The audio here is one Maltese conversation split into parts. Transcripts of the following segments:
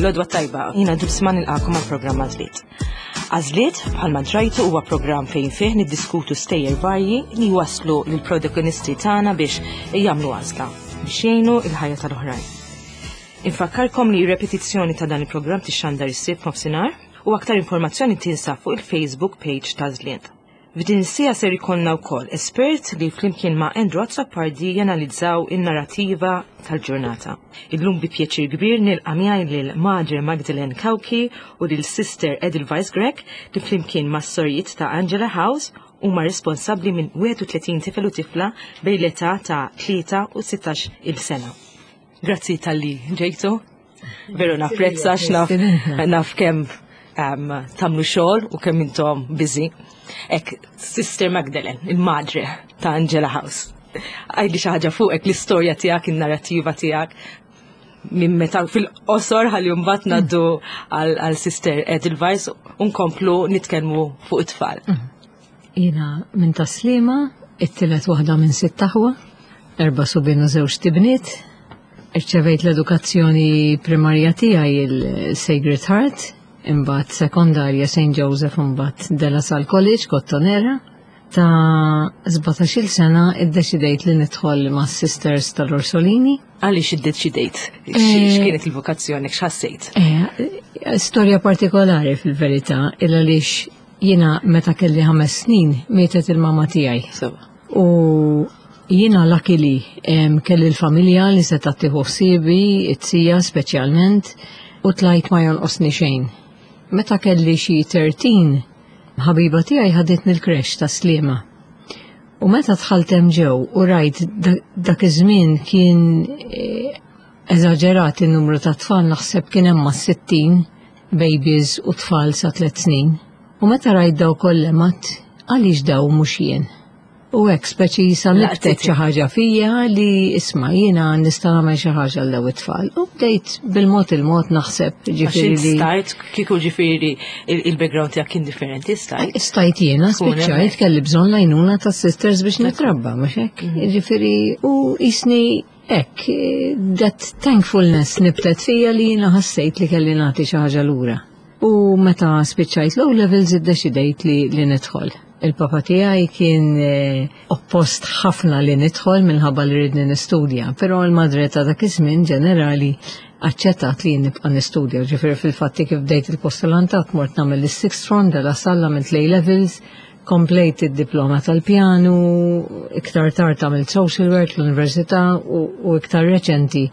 L-għodwa t-tajba, jiena Dulcima nilqagħkom għall-programm Għażliet. Għażliet, bħalma drajtu huwa programm fejn fih niddiskutu stejjer varji li jwasslu lill-protagonisti tagħna biex jagħmlu għażla biex jgħinu l-ħajja tal-oħrajn. Infakkarkom li repetizzjoni ta' dan il-programm tixxandar is-Sibt nofsinhar u aktar informazzjoni tinsab fuq il-Facebook page ta' Għażliet. F'din is-siegħa ser ikollna wkoll espert li flimkien ma' Andrew Azzopardi janalizzaw in-narrativa tal-ġurnata. Illum bi pjaċir kbir nilqa' miegħi lil Madre Magdalene Cauchi u lil Sister Edelweiss Grech li flimkien mas-sorijiet ta' Angela House huma responsabbli minn 31 tifel u tifla bejn l-età ta' 3 u 16 il sena. Grazzi talli ġejtu. Veru napprezza naf naf kemm um, tagħmlu xogħol u kemm intom busy. Ek, Sister Magdalene, il-madre ta' Angela House. Għidli xi ħaġa fuqek l-istorja tiegħek, in-narrativa tiegħek minn meta fil-qosor ħalli mbagħad ngħaddu għal Sister Edelweiss u nkomplu nitkellmu fuq it-tfal. Jiena minn Tas-Sliema, it-tielet waħda minn sitt aħwa, erba' subien u żewġt ibniet. Irċevejt l-edukazzjoni primarja tiegħi il-Sacred Heart, imbagħad sekondarja St. Joseph imbagħad De La Salle College, Kottonera. Ta' 17-il sena iddeċidejt li nidħol ma' Sisters tal-Orsolini. Għaliex iddeċidejt? Eh, X'kienet il-vokazzjoni, x'ħassejt? Eh, storja partikolari fil-verità, il għaliex Jiena meta kelli ħames snin mietet il-mama tiegħi. U jiena luckily kelli l-familja li seta' tieħu ħsiebi, it-tija speċjalment, u tlajt ma jonqosni xejn. Meta kelli xi 13, ħabiba tiegħi ħaditni l-creche ta' Sliema. U meta dħalt hemm ġew u rajt dak iż-żmien kien eh, eżaġerat in-numru ta' tfal naħseb kien hemm ma' 60 babies u tfal sa tliet snin. U meta rajt daw kollha għedt għaliex daw mhux jien. U hekk speċi sa nibtet xi ħaġa fija li isma' jiena nista' nagħmel xi ħaġa għal daw it-tfal. U bdejt bil-mod il-mod naħseb ġifieri li. Stajt kieku ġifieri il-background tiegħek kien differenti stajt. Stajt jiena spiċċajt kelli bżonn l-għajnuna tas-sisters biex nitrabba mhux hekk. Mhm. Ġifieri u jisni Hekk, that thankfulness nibtet fija li jiena ħassejt li kelli nagħti xi ħaġa lura. U meta spiċċajt l-O levels iddeċidejt li, li nidħol. Il-papa tiegħi kien eh, oppost ħafna li nidħol minħabba li ridni nistudja, però l-madre ta' dak iż-żmien ġenerali aċċettat li nibqa' nistudja. Ġifieri fil-fatti kif bdejt il-postulantat mort nagħmel is-sixth form de la Salle għamilt l-A levels, Komplejt id-diploma tal-pjanu, iktar tard għamilt social work l-università u, u iktar reċenti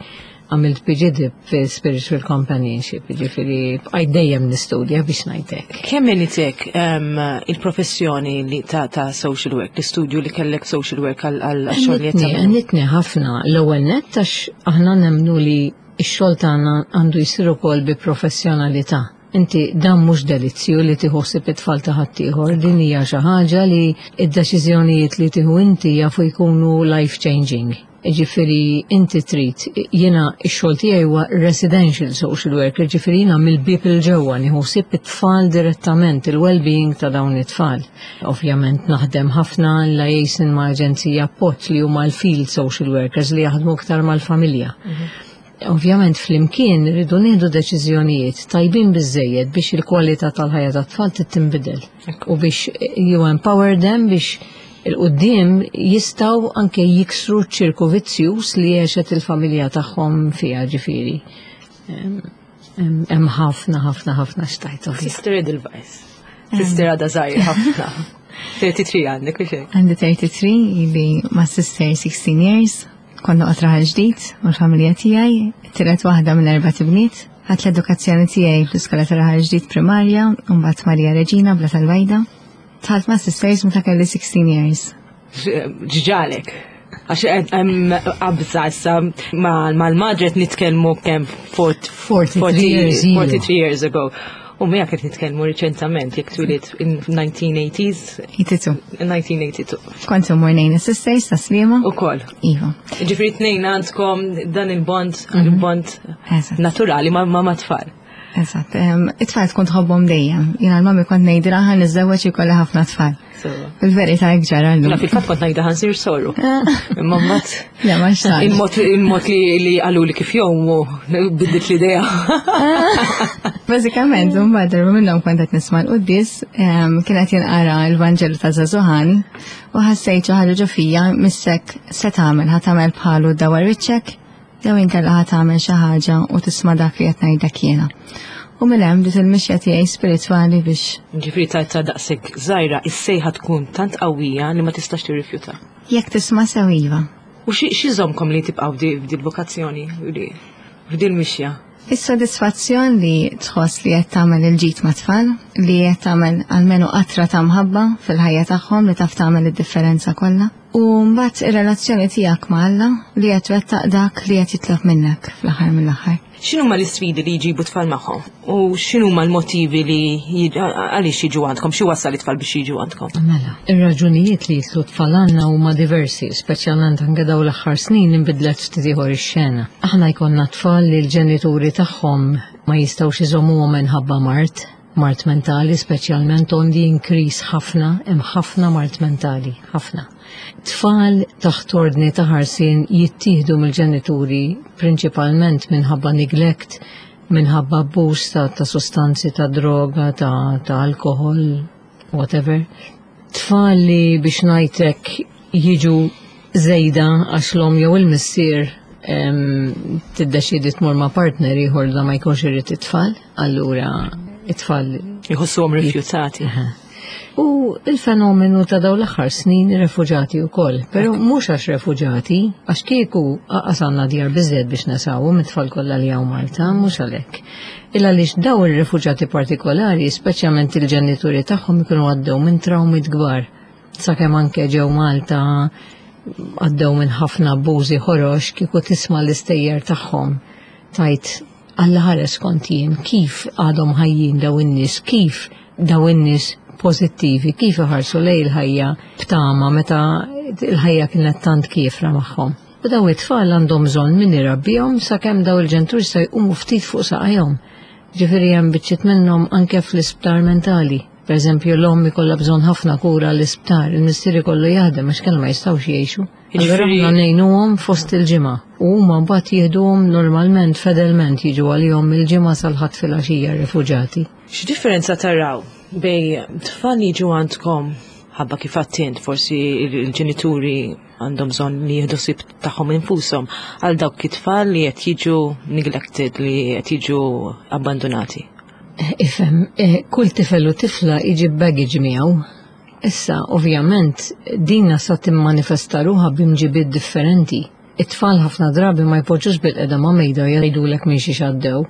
għamilt PGDip fi Spiritual Companionship, ġifiri bqajt dejjem nistudja biex ngħidlek. Kemm għenitek um, il-professjoni li ta', ta social work, l-istudju li kellek social work għal xogħol li qed Għenitni ħafna l-ewwel nett għax aħna nemmnu li x-xogħol tagħna għandu jsir ukoll bi professjonalità. Inti dan mhux delizzju li tieħu ħsieb it-tfal ta' ħaddieħor, din hija xi ħaġa li d-deċiżjonijiet li tieħu inti jafu jkunu life changing. Ġifieri inti trid, jiena x-xogħol tiegħi huwa residential social worker, ġifieri jiena mill-bieb 'il ġewwa nieħu ħsieb it-tfal direttament, il-well-being ta' dawn it-tfal. Ovvjament naħdem ħafna liaison ma' aġenzija appoġġ li huma l-field social workers li jaħdmu iktar mal-familja. Mhm. Ovvjament flimkien rridu nieħdu deċiżjonijiet tajbin biżejjed biex il-kwalità tal-ħajja tat-tfal tinbidel u biex you empower them biex il-qudiem jistgħu anke jiksru ċirku vizzjuż li għexet il-familja tagħhom fiha ġifieri. Hemm ħafna ħafna ħafna xtajt. Sister Edelweiss. Sister għadha żgħir ħafna. 33 għandek biex hekk? Għandi 33 ili ma' sister 16 years. Kont noqgħod raħal ġdid u l-familja tiegħi, it-tielet waħda minn erbat ibniet. Ħadt l-edukazzjoni tiegħi fl-iskola ta' raħal ġdid primarja u mbagħad Marija Reġina bla tal-Bajda. Dħalt ma' sisters meta kelli 16 years. Ġġalek. Għax hemm qabża issa mal-madret nitkellmu kemm 43 years ago. U miegħek qed nitkellmu riċentament jekk twilidt in 1980s. 82. 1982. Kont immur ngħin is-sisters ta' Sliema. Ukoll. Iva. Ġifieri tnejn għandkom dan il-bond, mhm. il-bond naturali ma' ma' tfal. Eżatt, it-tfal tkun tħobbhom dejjem. Jiena l-mami kont ngħidilha ħa niżżewweġ ikolli ħafna tfal. Fil-verità hekk ġara llum. Fil-fatt kont ngħidha ħa nsir soru. Imma mbagħad. Le ma xtaqx. Il-mod li qaluli kif jgħumu biddilt l-idea. Bażikament, mbagħad darba minnhom kont qed nisma' l-quddies, kien qed jinqara l-Vanġelu ta' Żagħżugħani u ħassejt xi ħaġa ġo fija missek se tagħmel, ħa tagħmel bħalu dawar wiċċek jew inkella ħa tagħmel xi ħaġa u tisma' dak li qed ngħidlek jiena. U minn hemm bdiet il-mixja tiegħi spiritwali biex. Ġifieri ta' ta' daqshekk żgħira is-sejħa tkun tant qawwija li ma tistax tirrifjuta. Jekk tisma' sew iva. U xi jżommkom li tibqgħu f'dil vokazzjoni, f'dil mixja? Is-sodisfazzjon li tħoss li qed tagħmel il-ġid mat-tfal, li qed tagħmel almenu qatra ta' mħabba fil-ħajja tagħhom li taf tagħmel id-differenza kollha. U mbagħad ir-relazzjoni tiegħek ma' Alla li qed twettaq dak li qed jitlob minnek fl-aħħar mill-aħħar. X'inhuma l-isfidi li jġibu tfal magħhom? U x'inhuma l-motivi li għaliex jiġu għandkom? Xi wassal it-tfal biex jiġu għandkom? Mela, ir-raġunijiet li jitlu tfal għandna huma diversi, speċjalment anke dawn l-aħħar snin inbidlet ftit ieħor ix-xena. Aħna jkollna tfal li l-ġenituri tagħhom ma jistgħux iżommuhom minħabba mard, mard mentali speċjalment on the increase ħafna, hemm ħafna mard mentali, ħafna. Tfal taħt ordni ta' ħarsien jittieħdu mill-ġenituri prinċipalment minħabba neglect, minħabba abbuż ta', ta sostanzi ta' droga, ta', ta alkohol, whatever. Tfal li biex ngħidlek jiġu żejda għax l-omm jew il-missier tiddeċiedi tmur ma' partner ieħor da ma jkunx irid it-tfal, allura it-tfal jħossuhom rifjutati. U il-fenomenu ta' dawn l-aħħar snin refuġati wkoll, però mhux għax refuġati, għax kieku aqas għandna djar biżżejjed biex nesawhom it-tfal kollha li hawn Malta, mhux għalhekk. Illa għaliex daw ir-refuġati partikolari, speċjalment il-ġenituri tagħhom ikunu għaddew minn trawmit kbar. Sakemm anke ġew Malta għaddew minn ħafna abbużi ħorox kieku tisma' l-istejjer tagħhom tajt Alla ħares kont jien, kif għadhom ħajjin daw in-nies, kif daw in-nies pożittivi, kif iħarsu lejn il-ħajja b'tama meta il-ħajja kienet tant kiefra magħhom. U daw it-tfal għandhom bżonn min irabbihom sakemm daw il-ġenituri se jqumu ftit fuq saqajhom. Ġifieri hemm biċċiet minnhom anke fl-isptar mentali. Per eżempju, l-omm ikollha bżonn ħafna kura l-isptar, il-missier ikollu jaħdem għax kellha ma jistgħux jgħixu. Allura aħna ngħinuhom fost il-ġimgħa u huma mbagħad jieħduhom normalment fedelment jiġu għalihom mill-ġimgħa sal-ħadd filgħaxija r-refuġati. X'differenza taraw bejn tfal li jiġu għandkom ħabba kif għattint forsi il-ġenituri għandhom bżonn li jieħdu ħsieb tagħhom infushom għal dawk it-tfal li qed jiġu neglected, li qed jiġu abbandonati? Ifhem, eh, kull tifel u tifla iġib baggage miegħu. Issa, ovvjament, dina sa timmanifesta ruħha b'imġibiet differenti. It-tfal ħafna drabi ma jpoġġux bil-qeda ma' mejda u jgħidulek minn xiex għaddew,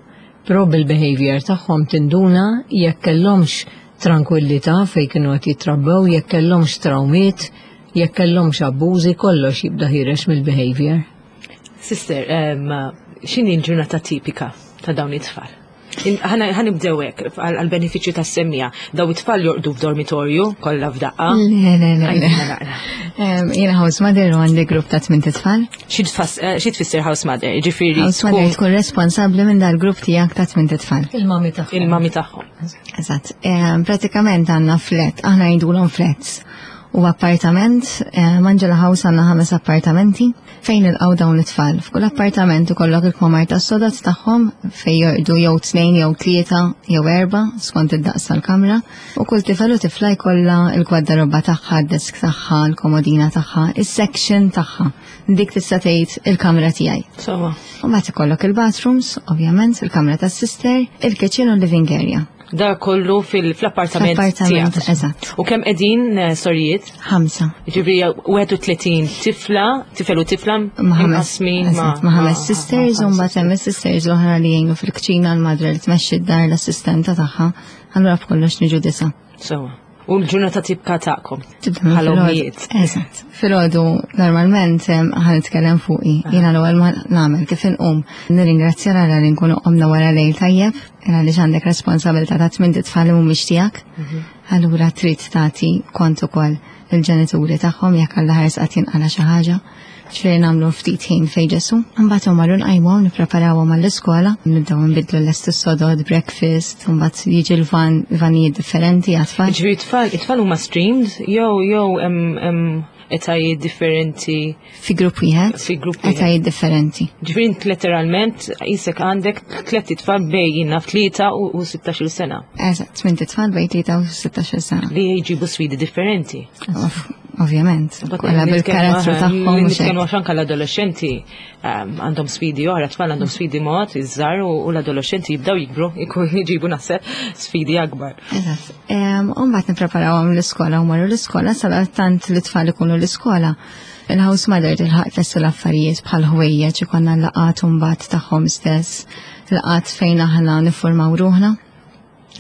però bil-behavior tagħhom tinduna jekk kellhomx trankwillità fejn kienu qed jitrabbew, jekk kellhomx trawmiet, jekk kellhomx abbużi, kollox jibda ħiereġ mill-behavior. Sister, x'inhi l-ġurnata tipika ta' dawn it-tfal? Ħa nibdew hekk għall-benefiċċju tas-semmiegħa. Daw it-tfal jorqdu f'dormitorju kollha f'daqqa. Le, le, le. Jiena house mother u għandi grupp ta' tmien tfal. Xi tfisser house mother? Ġifieri. House mother tkun responsabbli minn dal-grupp tiegħek ta' tmien tfal. Il-mami tagħhom. Il-mami tagħhom. Eżatt. Pratikament għandna flat, aħna ngħidulhom flats. U appartament, Angela House għandna ħames appartamenti fejn nilqgħu dawn it-tfal. F'kull appartament ikollok il-kmamar tas-sodod tagħhom fejn jorqdu jew tnejn jew tlieta jew erba' skont id-daqs tal-kamra. U kull tifel u tifla jkollha l-gwardarobba tagħha, d-desk tagħha, l-komodina tagħha, is-section tagħha. Dik tista' tgħid il-kamra tiegħi. Sewwa. U mbagħad ikollok il-bathrooms, ovvjament, il-kamra tas-sister, il-kitchen u l-living area. Da kollu fil-appartament Fl-appartament, tiegħek. eżatt. U kemm qegħdin sorijiet? 5. Ġifieri 31 tifla, tifel u tifla Ma' ħames, imqasmin eżatt, ma' ħames sisters u mbagħad hemm is-sisters l-oħra li jgħinu fil-kċina l-madre li tmexxi d-dar l-assistenta tagħha. Allura b'kollox niġu 9. Sewwa. U l-ġurnata tibka tagħkom. Tibda minn Bħala filgħodu. ommijiet. Eżatt. Filgħodu normalment ħa nitkellem fuqi. Jiena l-ewwel ma nagħmel kif inqum. Nirringrazzja Alla li nkunu qomna wara lejl tajjeb, għaliex għandek responsabilità ta' tmien tfal li mhumiex tiegħek. Allura trid tagħti kont ukoll il-ġenituri tagħhom jekk Alla ħares qatt jinqala xi ħaġa. Ġifieri nagħmlu ftit ħin fejn Ġesu. Imbagħad marru nqajmuhom nippreparawhom għall-iskola, nibdew nbidlu lest is-sodod, breakfast, imbagħad jiġi l-van, vanijiet differenti għat-tfal. Ġifieri tfal, it-tfal huma streamed jew jew hemm etajiet differenti. Fi grupp wieħed. Fi grupp wieħed. Etajiet differenti. Ġifieri int letteralment qisek għandek tlett itfal bejn naf 3 u 16-il sena. Eżatt, tmien tfal bejn 3 u 16-il sena. Li jġibu sfidi differenti. Ovvjament, kollha bil-karattru tagħhom. Nitkellmu għax anke l-adolescenti għandhom sfidi oħra, tfal għandhom sfidi mod iż-żgħar u l-adolescenti jibdew jikbru, ikun jġibu naħseb sfidi akbar. Eżatt. U mbagħad nippreparawhom l-iskola u marru l-iskola sadattant li tfal ikunu l-iskola. Il-house mother tilħaq tlesti l-affarijiet bħal ħwejjeġ ikollna laqgħat mbagħad tagħhom stess, laqgħat fejn aħna niffurmaw ruħna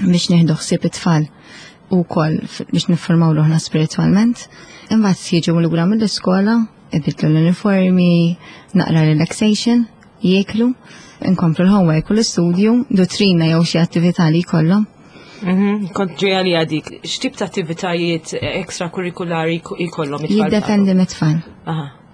biex nieħdu ħsieb it-tfal u wkoll biex niffurmaw ruħna spiritwalment. Imbagħad jiġu lura mill-iskola, ibidlu l-uniformi, naqra relaxation, jieklu, inkomplu l-homework u l-istudju, duttrina jew xi attività li jkollhom. Kont ġeja li għadik, x'tip ta' attivitajiet ekstrakurrikulari jkollhom it-tfal? Jiddependi mit-tfal.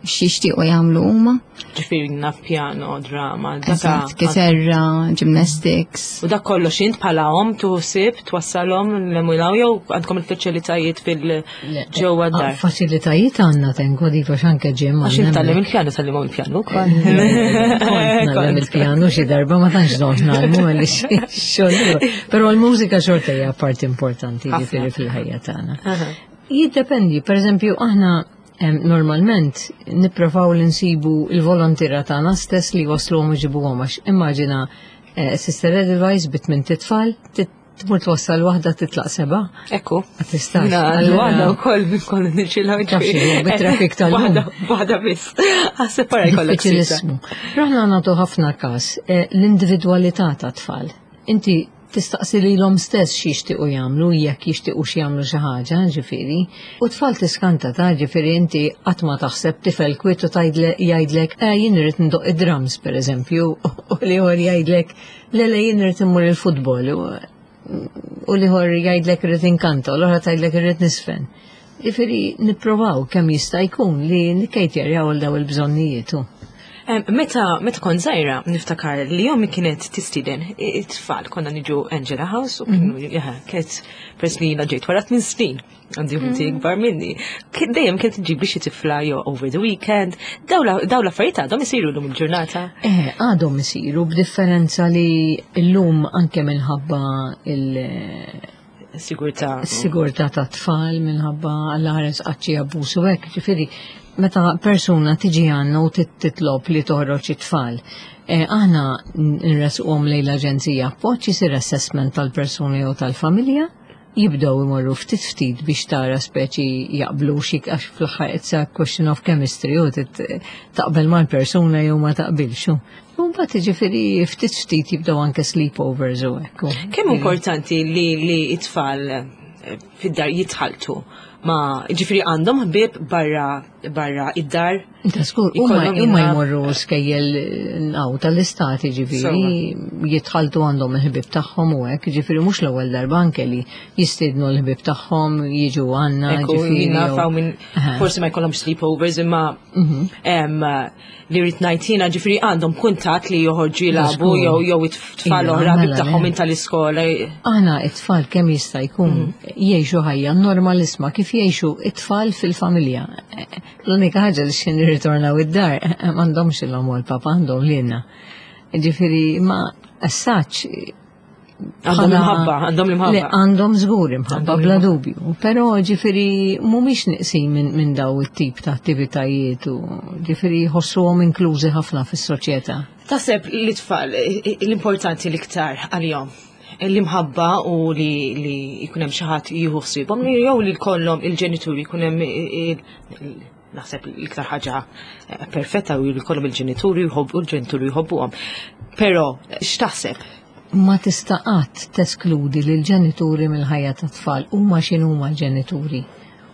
X'jixtiequ jagħmlu huma. Ġifieri naf piano, drama, daka. Kitarra, gymnastics. U dak kollox int bħala omm tuħsib twassalhom l-emulaw jew għandkom il-faċilitajiet fil-ġewwa d-dar? Faċilitajiet għandna tenko dik għax anke ġim. Għax intallem il-pjano tallimhom il-pjano wkoll. Nagħlem il-pjano xi darba ma tantx dont nagħlmu għaliex xogħol. Però l-mużika xorta hija parti importanti ġifieri fil-ħajja tagħna. Jiddependi, pereżempju aħna Normalment nipprovaw li nsibu il-volontira tagħna stess li wasluhom u ġibuhom għax immaġina eh, Sister Edelweiss bit minn titfal tmur twassal waħda titlaq seba. Ekku. Ma tistax. Waħda wkoll kollu niġilha. Bit-trafik tal Waħda biss. Għas-separa jkollok. Diffiċilissmu. Raħna nagħtu ħafna każ eh, l-individwalità ta' tfal. Inti tistaqsi lilhom stess x'jixtiequ jagħmlu, jekk jixtiequx jagħmlu xi ħaġa, ġifieri. U tfal tiskanta ta' ġifieri inti qatt ma taħseb tifel kwiet u jgħidlek eh jien irrid ndoqq id-drums pereżempju, u l-ieħor jgħidlek le le jien irrid immur il-futbol u l-ieħor jgħidlek irrid inkanta u l-oħra tgħidlek irrid nisfen. Ġifieri nipprovaw kemm jista' jkun li nikkejtjerjaw għal daw il-bżonnijiet. Meta meta kont żgħira niftakar li ommi kienet tistieden it-tfal konna niġu Angela House u kienu mhm. kienet peress li jiena ġejt wara tmien snin għandi ħuti mhm. ikbar minni. Dejjem kienet ġib xi tifla jew over the weekend. Daw l-affarijiet għadhom isiru llum il-ġurnata. Eh, għadhom isiru b'differenza li llum anke minħabba il- Sigurtà. Sigurtà ta' tfal minħabba l-ħares qaċċi abbuż u hekk, ġifieri meta persuna tiġi għandna u titlob li toħroġ it-tfal, eh, aħna nresquhom lejn l-aġenzija appoġġ isir assessment tal-persuna jew tal-familja, jibdew imorru ftit ftit biex tara speċi jaqblu xi għax fl-aħħar it's a question of chemistry u taqbel mal-persuna jew ma taqbilx. U mbagħad jiġifieri ftit ftit jibdew anke sleepovers u hekk. Kemm importanti li li t-tfal eh, fid-dar jitħaltu ma ġifieri għandhom ħbieb barra barra id-dar. Ta' skur, huma jmorru skejjel għaw tal-istati ġifieri jitħaltu għandhom il-ħbieb tagħhom u hekk, ġifieri mhux l-ewwel darba anke li jistiednu l-ħbieb tagħhom jiġu għandna ġifieri. Minn forsi ma jkollhomx sleepovers imma mhm. li rrid ngħid jiena ġifieri għandhom kuntatt li joħorġu jilagħbu jew jew it-tfal oħra ħbib mela, tagħhom minn tal-iskola. Aħna it-tfal kemm jista' jkun mhm. jgħixu ħajja normalisma kif jgħixu it-tfal fil-familja. L-unika ħaġa li x'in irritornaw id-dar m'għandhomx il-om u l-papa għandhom lilna. Ġifieri ma as such Għandhom imħabba, għandhom l-imħabba. Għandhom żgur imħabba, bla dubju. Però ġifieri mhumiex niqsin minn min daw it-tip ta' attivitajiet u ġifieri jħossuhom inklużi ħafna fis-soċjetà. Taħseb li tfal l-importanti l-iktar għalihom l-imħabba u li li jkun hemm xi ħadd jieħu ħsiebhom jew li jkollhom il-ġenituri jkun hemm naħseb l-iktar ħaġa eh, perfetta u jkollhom il-ġenituri jħobbu l-ġenituri jħobbuhom. Però x'taħseb? Ma tista' qatt teskludi lil ġenituri mill-ħajja tat-tfal huma x'inhuma l-ġenituri.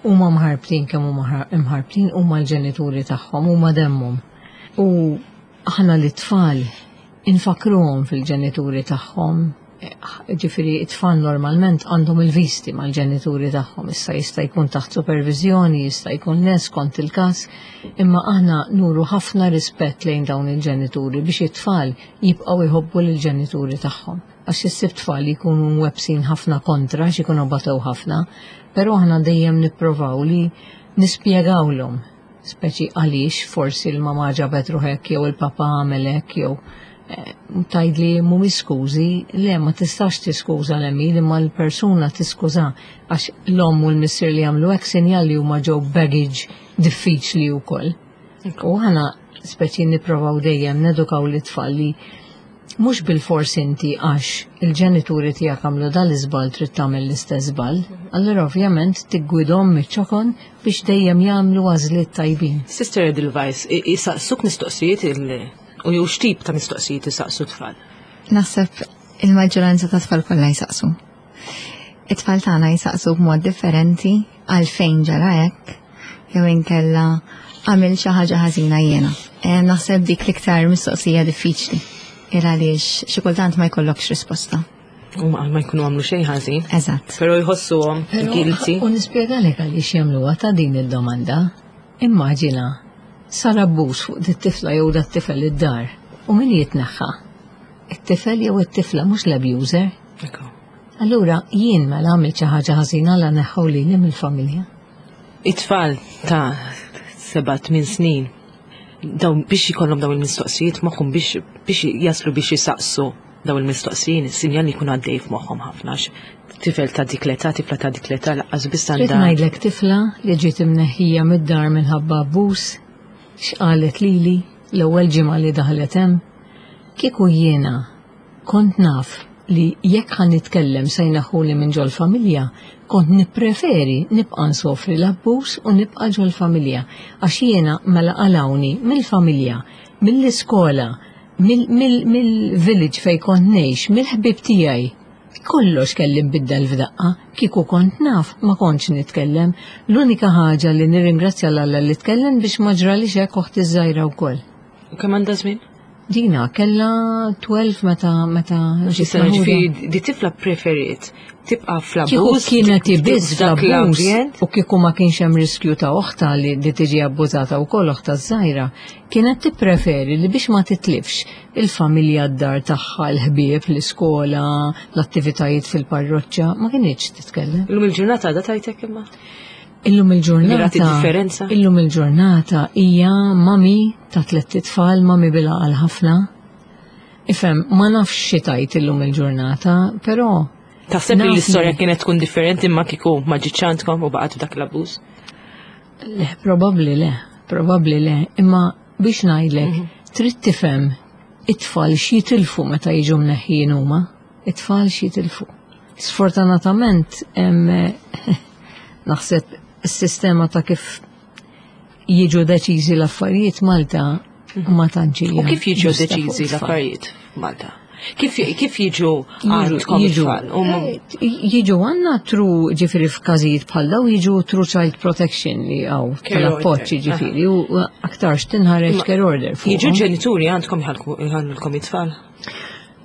Huma mħarbtin kemm huma mħarbtin huma l-ġenituri tagħhom huma demmhom. U aħna li tfal infakkruhom fil-ġenituri tagħhom. Ġifieri it-tfal normalment għandhom il-visti mal-ġenituri tagħhom, issa jista' jkun taħt supervizjoni, jista' jkun le skont il-każ, imma aħna nuru ħafna rispett lejn dawn il-ġenituri biex it-tfal jibqgħu jħobbu lill-ġenituri tagħhom. Għax issib tfal li jkunu mwebsin ħafna kontra, għax ikunu batew ħafna, però aħna dejjem nipprovaw li nispjegawlhom speċi għaliex forsi l-mama ġabet ruħek jew il-papa għamel hekk jew eh, tgħidli mhumiex skużi, le ma tistax tiskuża l-għemil imma l-persuna tiskuża għax l-omm u l-missier li jagħmlu hekk sinjal li huma ġew baggage diffiċli wkoll. U aħna speċi nipprovaw dejjem nedukaw l-tfal li mhux bilfors inti għax il-ġenituri tiegħek għamlu dal-iżball trid tagħmel l-istess żball. Allura ovvjament tiggwidhom miċ-ċokon biex dejjem jagħmlu għażliet tajbin. Sister Edelweiss, jisaqsuk mistoqsijiet u jew x'tip ta' mistoqsijiet isaqsu tfal? Naħseb il-maġġoranza ta' tfal kollha jsaqsu. It-tfal tagħna jsaqsu b'mod differenti għalfejn ġara hekk jew inkella għamil xi ħaġa ħażina jiena. Eh, naħseb dik l-iktar mistoqsija diffiċli il għaliex xi kultant ma jkollokx risposta. U ma jkunu għamlu xejn ħażin. Eżatt. Però jħossuhom guilty. U nispjegalek għaliex jagħmluha ta' din id-domanda. Immaġina sar abbuż fuq dit-tifla jew dat-tifel id-dar u min jitneħħa? It-tifel jew it-tifla mhux l-abuser. Allura jien mela għamilt xi ħaġa ħażina la neħħu lili mill-familja. It-tfal ta' 7-8 snin dawn biex jkollhom dawn il-mistoqsijiet moħħhom biex biex jaslu biex jisaqsu dawn il-mistoqsijiet, sinjal li jkun għaddej f'moħħhom ħafna tifel ta' dik l-età, tifla ta' dik l-età laqqas biss għandha. Ngħidlek tifla li ġiet imneħħija mid-dar minħabba abbuż, x'qalet lili l-ewwel ġimgħa li daħlet hemm, kieku jiena Kont naf li jekk ħa nitkellem se jneħħuni minn ġol-familja, kont nippreferi nibqa' nsofri l-abbuż u nibqa' ġol-familja għax jiena mela qalgħuni mill-familja, mill-iskola, mill-village fejn kont ngħix, mill-ħbieb tiegħi. Kollox kelli nbiddel f'daqqa, kieku kont naf ma kontx nitkellem. L-unika ħaġa li nirringrazzja 'l Alla li tkellem biex ma ġralix hekk oħti ż-żgħira wkoll. U kemm għandha żmien? Dina kella 12 meta meta ġiet sena ġifieri di tifla preferiet tibqa' fl-abbuż. Kieku kienet biss fl-abbuż u kieku ma kienx hemm riskju ta' oħta li di tiġi abbużata wkoll oħta żgħira, kienet tippreferi li biex ma titlifx il-familja d-dar tagħha, l-ħbieb, l-iskola, l-attivitajiet fil-parroċċa, ma kinitx titkellem. Illum il-ġurnata għadha tajtek imma? Illum il-ġurnata. differenza? Illum il-ġurnata hija mami ta' tlett itfal, mami bil-għaqal ħafna. Ifhem, ma nafx xi tajt illum il-ġurnata, però Taħseb li l-istorja kienet tkun differenti imma kieku ma ġietx għandkom u baqgħet f'dak l-abbuż? Le, probabbli le, probabbli le, imma biex ngħidlek, mhm. trid tifhem it-tfal x'jitilfu meta jiġu mneħħin huma. It-tfal x'jitilfu. Sfortunatament naħseb is-sistema ta' kif jiġu deċiżi l-affarijiet Malta ma tantx U kif jiġu deċiżi l-affarijiet Malta? Kif, kif jiġu għandkom jiġu, eh, jiġu għanna tru ġifiri f'każijiet bħal daw jiġu tru child protection li għaw tal-appoċ ġifiri u aktarx tinħareġ care order. Jiġu ġenituri għandkom jħallulkom it-tfal?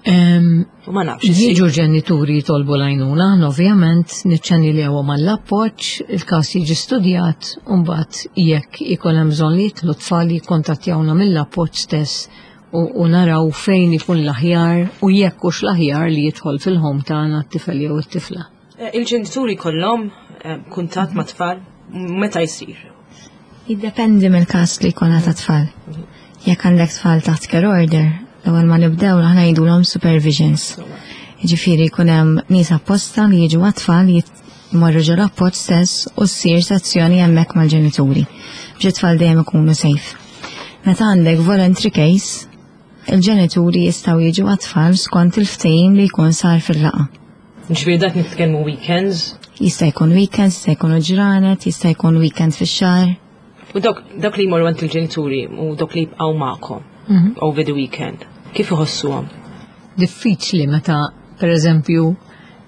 U ma nafx. Jiġu ġenituri jitolbu l-għajnuna, aħna ovvjament niċċanilewhom għall-appoġġ, il-każ jiġi studjat, u mbagħad jekk ikun hemm bżonn li jitlu tfal jikkontattjawna mill-appoġġ stess u naraw fejn ikun l-aħjar u jekk hux l-aħjar li jidħol fil-home tagħna t-tifel jew it-tifla. Eh, il-ġenituri kollhom eh, kuntatt ma' tfal meta jsir? Jiddependi mill-każ li jkollna ta' tfal. Jekk għandek tfal taħt care order, l-ewwel ma nibdew aħna jgħidulhom supervisions. Jiġifieri jkun hemm nies apposta li jiġu għat-tfal jmorru ġo l-appoġġ stess u ssir sezzjoni hemmhekk mal-ġenituri biex it-tfal dejjem ikunu safe. Meta għandek voluntary case, il-ġenituri jistgħu jiġu għat-tfal skont il-ftehim li jkun sar fil-laqgħa. Ġifieri dak nitkellmu weekends? Jista' jkun weekends, jista' jkunu ġranet, jista' jkun weekend fix-xahar. U dawk dawk li jmorru għand il-ġenituri u dawk li jibqgħu magħkom mhm. over the weekend, kif iħossuhom? Diffiċli meta pereżempju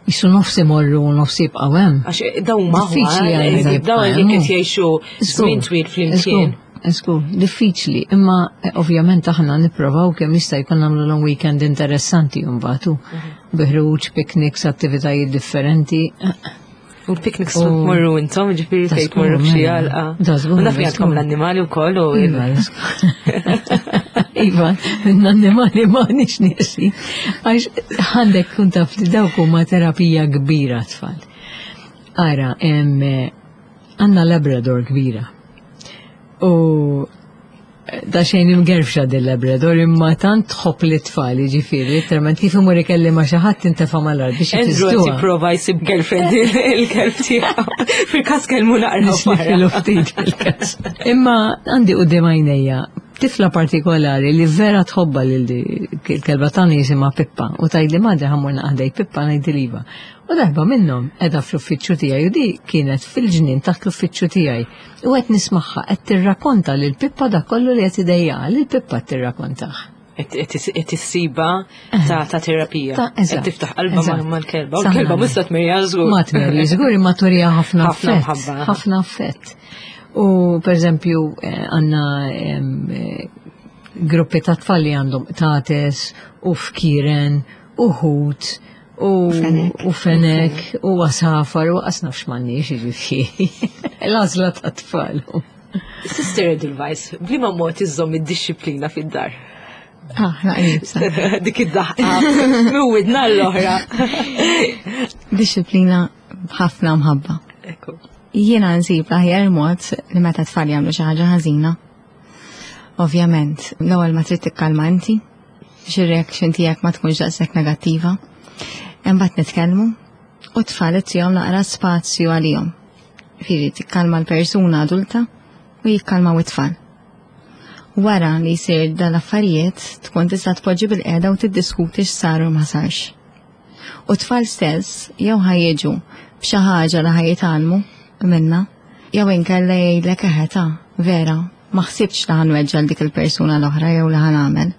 jisu nofs imorru u nofs jibqgħu hemm. Għax eh, dawn ma diffiċli eh, għal dawn jekk qed jgħixu żmien twil flimkien. Żgur, diffiċli, imma eh, ovvjament aħna nipprovaw kemm jista' jkun nagħmlu long weekend interessanti mbagħad. Mhm. Bi ħruġ, picnics, attivitajiet differenti. U l-picnics tmorru intom, ġifieri fejn tmorru f'xi mela. għalqa. U naf li għandkom l-annimali wkoll u. Iva, iva, l-annimali ma nix niesi. Għax għandek kun taf li dawk huma terapija kbira tfal. Ara, għandna Labrador kbira. U Da xejn imgerfxa din Labrador imma tant tħobb li tfal jiġifieri literalment kif imur ikelli ma' xi ħadd intefa' mal-art biex Andrew qed jipprova jsib girlfriend il-kelb tiegħu. Fil-każ kellmu naqra. Nixlifilu ftit fil-każ. Imma għandi quddiem għajnejja tifla partikolari li vera tħobba lil il-kelba tagħna jisimha Pippa u tgħidli madre ħammur naqħdej Pippa ngħidli iva. U darba minnhom qiegħda fl-uffiċċju tiegħi u di kienet fil-ġnien taħt l-uffiċċju tiegħi. U qed nismagħha qed tirrakonta lil Pippa dak kollu li qed idejjaqha, lil Pippa qed tirrakontah. Qed issiba ta' ta' terapija. Qed tiftaħ qalba mal-kelba. U l-kelba mhux se tmerja żgur. Ma tmerja żgur imma turija ħafna affett. Ħafna affett. U pereżempju eh, għandna eh, gruppi ta' tfal li għandhom tates u fkiren u ħut U fenek, u għasafar, u għas nafx mannix, ġifiri. L-għazla ta' tfal. Sister Edelweiss, blima mod iżżomm id-disciplina fid-dar? Ah, naqrib. Dik id-daħqa, mwidna l-oħra. Disciplina b'ħafna mħabba. Jiena nsib l-aħjar mod li meta tfal jagħmlu xi ħaġa ħażina. Ovvjament, l-ewwel ma trid tikkalma inti, biex ir-reaction tiegħek ma tkunx daqshekk negattiva. Imbagħad nitkellmu u t-tfal ittihom naqra spazju għalihom. Fieri tikkalma l-persuna adulta u jikkalmaw it-tfal. Wara li jsir dal-affarijiet tkun tista' tpoġġi bil-qiegħda u tiddiskuti x'sar u ma sarx. U t-tfal stess jew ħa jiġu b'xi ħaġa li ħa jitgħallmu minna, jew inkella jgħidlek eħe ta' vera, ma ħsibtx li ħa nweġġa' 'l dik il-persuna l-oħra jew li ħa nagħmel.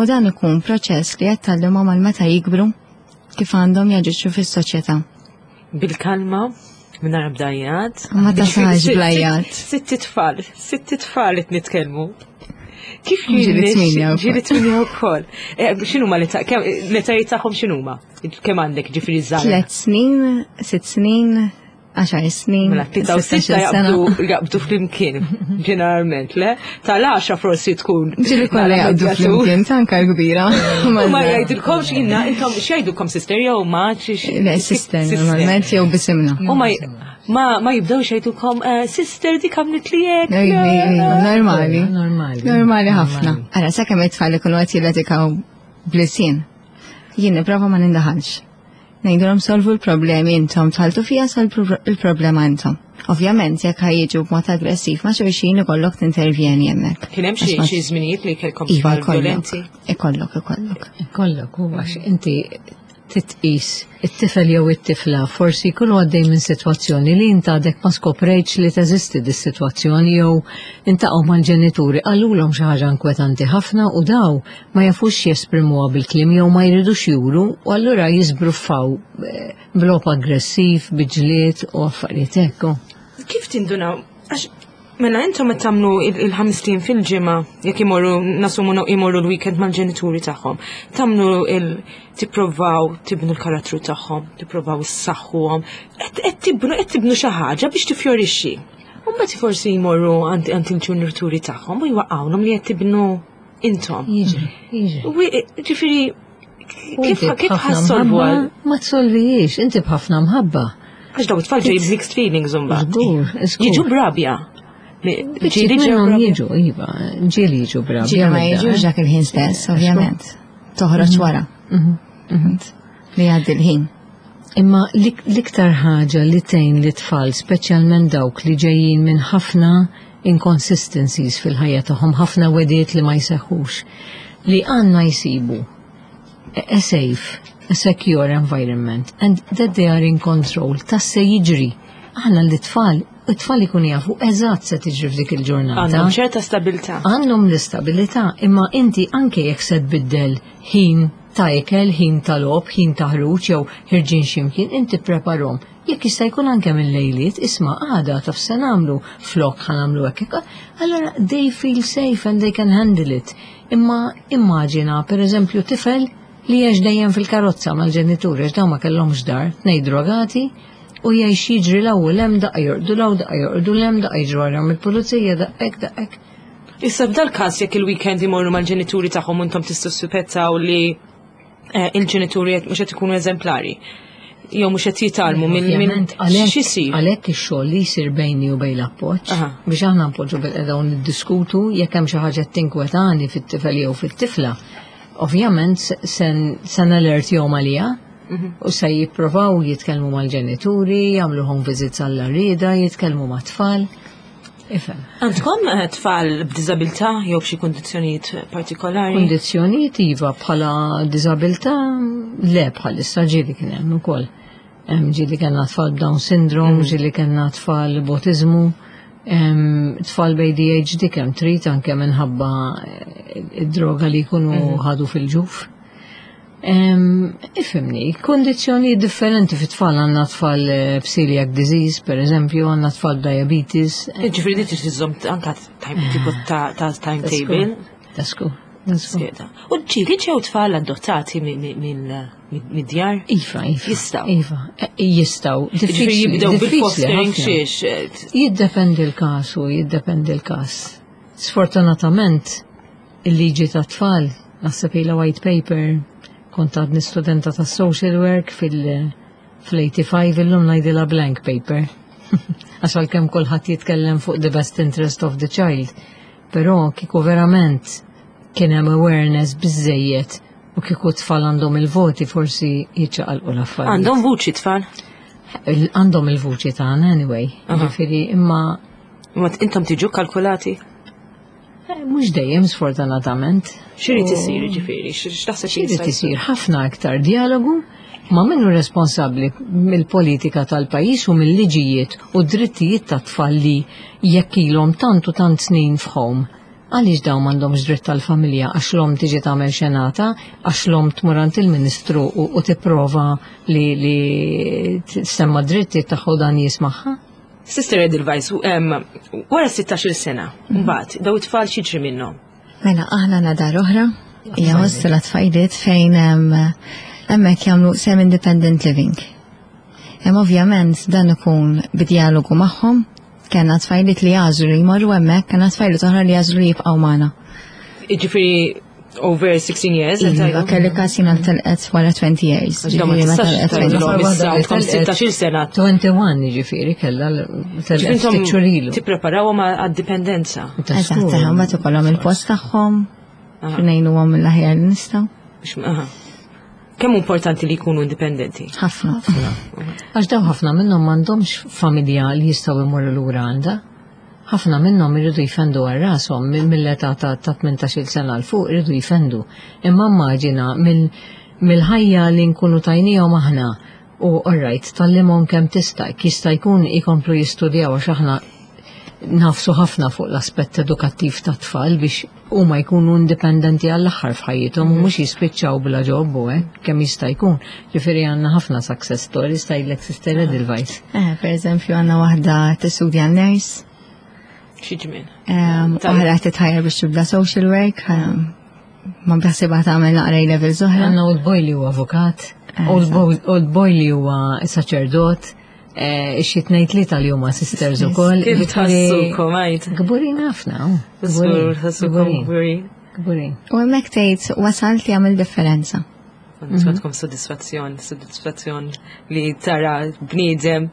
U dan ikun proċess li qed tgħallimhom għal meta jikbru kif għandhom jaġixxu fis-soċjetà. Bil-kalma, mingħajr bdajjat. Ma tasax blajjat. Sitt tfal, sitt tfal qed nitkellmu. Kif ġili tminja Ġili tminja wkoll. Eh, x'inhuma li l-etajiet tagħhom x'inhuma? Kemm għandek ġifieri żgħar? Tliet snin, sitt snin, 10 snin. Mela, 3 u jaqbdu jaqbdu flimkien, ġeneralment, le? Tal-10 forsi tkun. Ġili kollha jaqbdu flimkien, tanka kbira. Ma jgħidilkomx jinnna, intom x'jgħidulkom sister jew ma? Le, sister, normalment jew bisimna. U ma ma jibdewx jgħidulkom eh, sister dik għamlet li hekk. Normali. Normali. Normali ħafna. Ara, sakemm it-tfal ikunu qed jilletikaw blisien. Jien nipprova ma nindaħalx. Ngħidulhom solvu l-problemi intom, tħaltu fija solvu l-problema intom. Ovvjament, jekk ħajjiġu b'mod aggressiv ma' xulxin ikollok tintervjeni hemmhekk. Kien hemm xi żminijiet li kellkom iva, tfal violenti? Ikollok, ikollok. Ikollok, u għax inti titqis it-tifel jew it-tifla forsi jkunu għaddej minn sitwazzjoni li int għadek ma skoprejtx li teżisti dis-sitwazzjoni jew intaqgħu mal-ġenituri qalulhom xi ħaġa inkwetanti ħafna u daw ma jafux jesprimuha bil-kliem jew ma jridux juru u allura jiżbruffaw eh, b'logħob aggressiv, bi ġlied u affarijiet hekk. Kif tindunaw? Għax mela intom qed tagħmlu il-ħamstin fil-ġimgħa jekk imorru nasumu imorru l-weekend mal-ġenituri tagħhom. Tagħmlu il tipprovaw tibnu l-karattru tagħhom, tipprovaw issaħħuhom, qed tibnu qed tibnu xi ħaġa biex tifjorixxi. U mbagħad forsi jmorru għand il-ġenituri tagħhom u jwaqgħulhom li qed tibnu intom. Jiġri, jiġri. Ġifieri, kif kif ħassolvu għal? Ma tsolvijiex, inti b'ħafna mħabba. Għax daw it-tfal ġej mixed feelings imbagħad. Żgur, Jiġu brabja. Ġieli jiġu, iva, ġieli jiġu brabja. Ġieli ma jiġux dak il-ħin stess, ovvjament. Toħroġ mhm. wara. Mhm. Mhm. Li għaddi l-ħin. Imma l-iktar ħaġa li tgħin li tfal, speċjalment dawk li ġejjin minn ħafna inconsistencies fil-ħajja tagħhom, ħafna wegħdiet li ma jseħħux, li għandna jsibu a safe, a secure environment and that they are in control ta' se jiġri. Aħna l-tfal, it-tfal ikun jafu eżatt se tiġri f'dik il-ġurnata. Għandhom ċerta stabilità. Għandhom l-istabilità, imma inti anke jekk se tbiddel ħin ta' ikel, ħin ta' logħob, ħin ta' ħruġ jew ħirġin x'imkien, inti preparhom. Jekk jista' jkun anke minn lejliet, isma' għada taf se nagħmlu flok ħa nagħmlu hekk. Allora they feel safe and they can handle it. Imma immaġina pereżempju tifel li għex dejjem fil-karozza mal-ġenituri għax dawn ma kellhomx dar, tnej drogati u jgħix jiġri l-ewwel hemm daqqa jorqdu l daqqa jorqdu 'l hemm daqqa jiġru warahom il-pulizija daqqa daqqa. Issa f'dal-każ jekk il-weekend imorru mal-ġenituri tagħhom intom tistgħu li eh, il-ġenituri mhux qed ikunu eżemplari jew mhux qed jitgħallmu minn minn x'isir. Għalhekk ix-xogħol li jsir bejni u bejn l-appoġġ biex aħna npoġġu bil-qeda u niddiskutu jekk hemm xi ħaġa tinkwetani fit-tifel jew fit-tifla. Ovvjament se nalertjhom għaliha mhm. u se jipprovaw jitkellmu mal-ġenituri, jagħmlu home visits għall-arrieda, jitkellmu mat-tfal. Ifhem. Għandkom eh, tfal b'diżabilità jew b'xi kundizzjonijiet partikolari? Kundizzjonijiet iva bħala diżabilità le bħalissa ġieli kien hemm ukoll. Ġieli kellna tfal b'Down syndrome, mm. ġieli kellna tfal b'autiżmu, tfal b'ADHD kemm trid anke minħabba eh, id-droga li jkunu mm. ħadu fil-ġuf. Ifhimni, kondizjoni differenti fit tfal għandna tfal eh, b'celiac disease, per eżempju, għandna tfal diabetes. Eh, ġifieri di trid iżżomm anka tipo ta' timetable. Tasku. U ġieli ġew tfal adottati mid-djar? Iva, iva. Jistaw. Iva, eh, jistaw. Ġifieri jibdew bil-fostering xiex. Jiddependi l-każ u jiddependi l-każ. Sfortunatament, Il-liġi tat-tfal, naħseb ilha white paper, kont għadni studenta ta' social work fil-85 illum ngħidilha blank paper. Għax għalkemm kulħadd jitkellem fuq the best interest of the child, però kieku verament kien hemm awareness biżejjed u kieku tfal għandhom il-voti forsi jiċċaqalqu l-affarijiet. Għandhom vuċi tfal? Għandhom il-vuċi tagħna anyway. Ġifieri imma Imma intom tiġu kalkulati? Eh, mhux dejjem sfortunatament. X'irid isir ġifieri, x'taħseb x'irid isir ħafna iktar dialogu ma' minnu responsabbli mill-politika tal-pajjiż u mill-liġijiet u drittijiet tat-tfal li jekk ilhom tant u tant snin f'home. Għaliex dawn m'għandhomx dritt tal-familja għax l-omm tiġi tagħmel xenata, għax l-omm tmur għand il-Ministru u tipprova li, li semma drittijiet tagħha dan jismagħha? Sister Edelweiss, wara 16 sena, mhm. mbagħad daw it-tfal x'jiġri minnhom? Mela aħna nadar oħra, hija hostel tfajliet fejn hemmhekk jagħmlu semi-independent living. Hemm ovvjament dan ikun bidjalogu magħhom, kellna tfajliet li jażlu li jmorru hemmhekk, kellna tfajliet oħra li jażlu li jibqgħu magħna. Jiġifieri over 16 years. Iva, kelli kas jina telqet wara 20 years. Ġifieri ma telqet 16 sena. 21 ġifieri kella telqet ftit Tippreparawhom għad-dipendenza. Eżatt, mbagħad ikollhom il-post tagħhom, ngħinuhom mill-aħjar li nistgħu. Kemm importanti li jkunu indipendenti? Ħafna. Għax daw ħafna minnhom m'għandhomx familja li jistgħu jmorru lura għandha. Ħafna minnhom iridu jfendu għal rashom mill-età ta' 18-il sena 'l fuq iridu jfendu. Imma immaġina mill-ħajja li nkunu tajniehom aħna u alright tgħallimhom kemm tista' jekk jista' jkun ikomplu jistudjaw għax aħna nagħfsu ħafna fuq l-aspett edukattiv tat-tfal biex huma jkunu indipendenti għall-aħħar f'ħajjithom u mhux jispiċċaw bla ġob u hekk kemm jista' jkun. Ġifieri għandna ħafna success stories tgħidlek Sister Edelweiss. Eh, per eżempju għandna waħda tistudja nurse. Xi ġmien. Oħra titħajjar biex tibda social work, ma bħasibha tagħmel naqra level oħra. Għandna old boy li huwa avukat, eh, old boy li huwa saċerdot, eh, xi tnejn tlieta li huma sisters ukoll. Kif tħassukom għid? Kburin ħafna. Kburin. Kburin. U hemmhekk tgħid wasalt li għamil differenza. Għandkom soddisfazzjon, soddisfazzjon li tara bniedem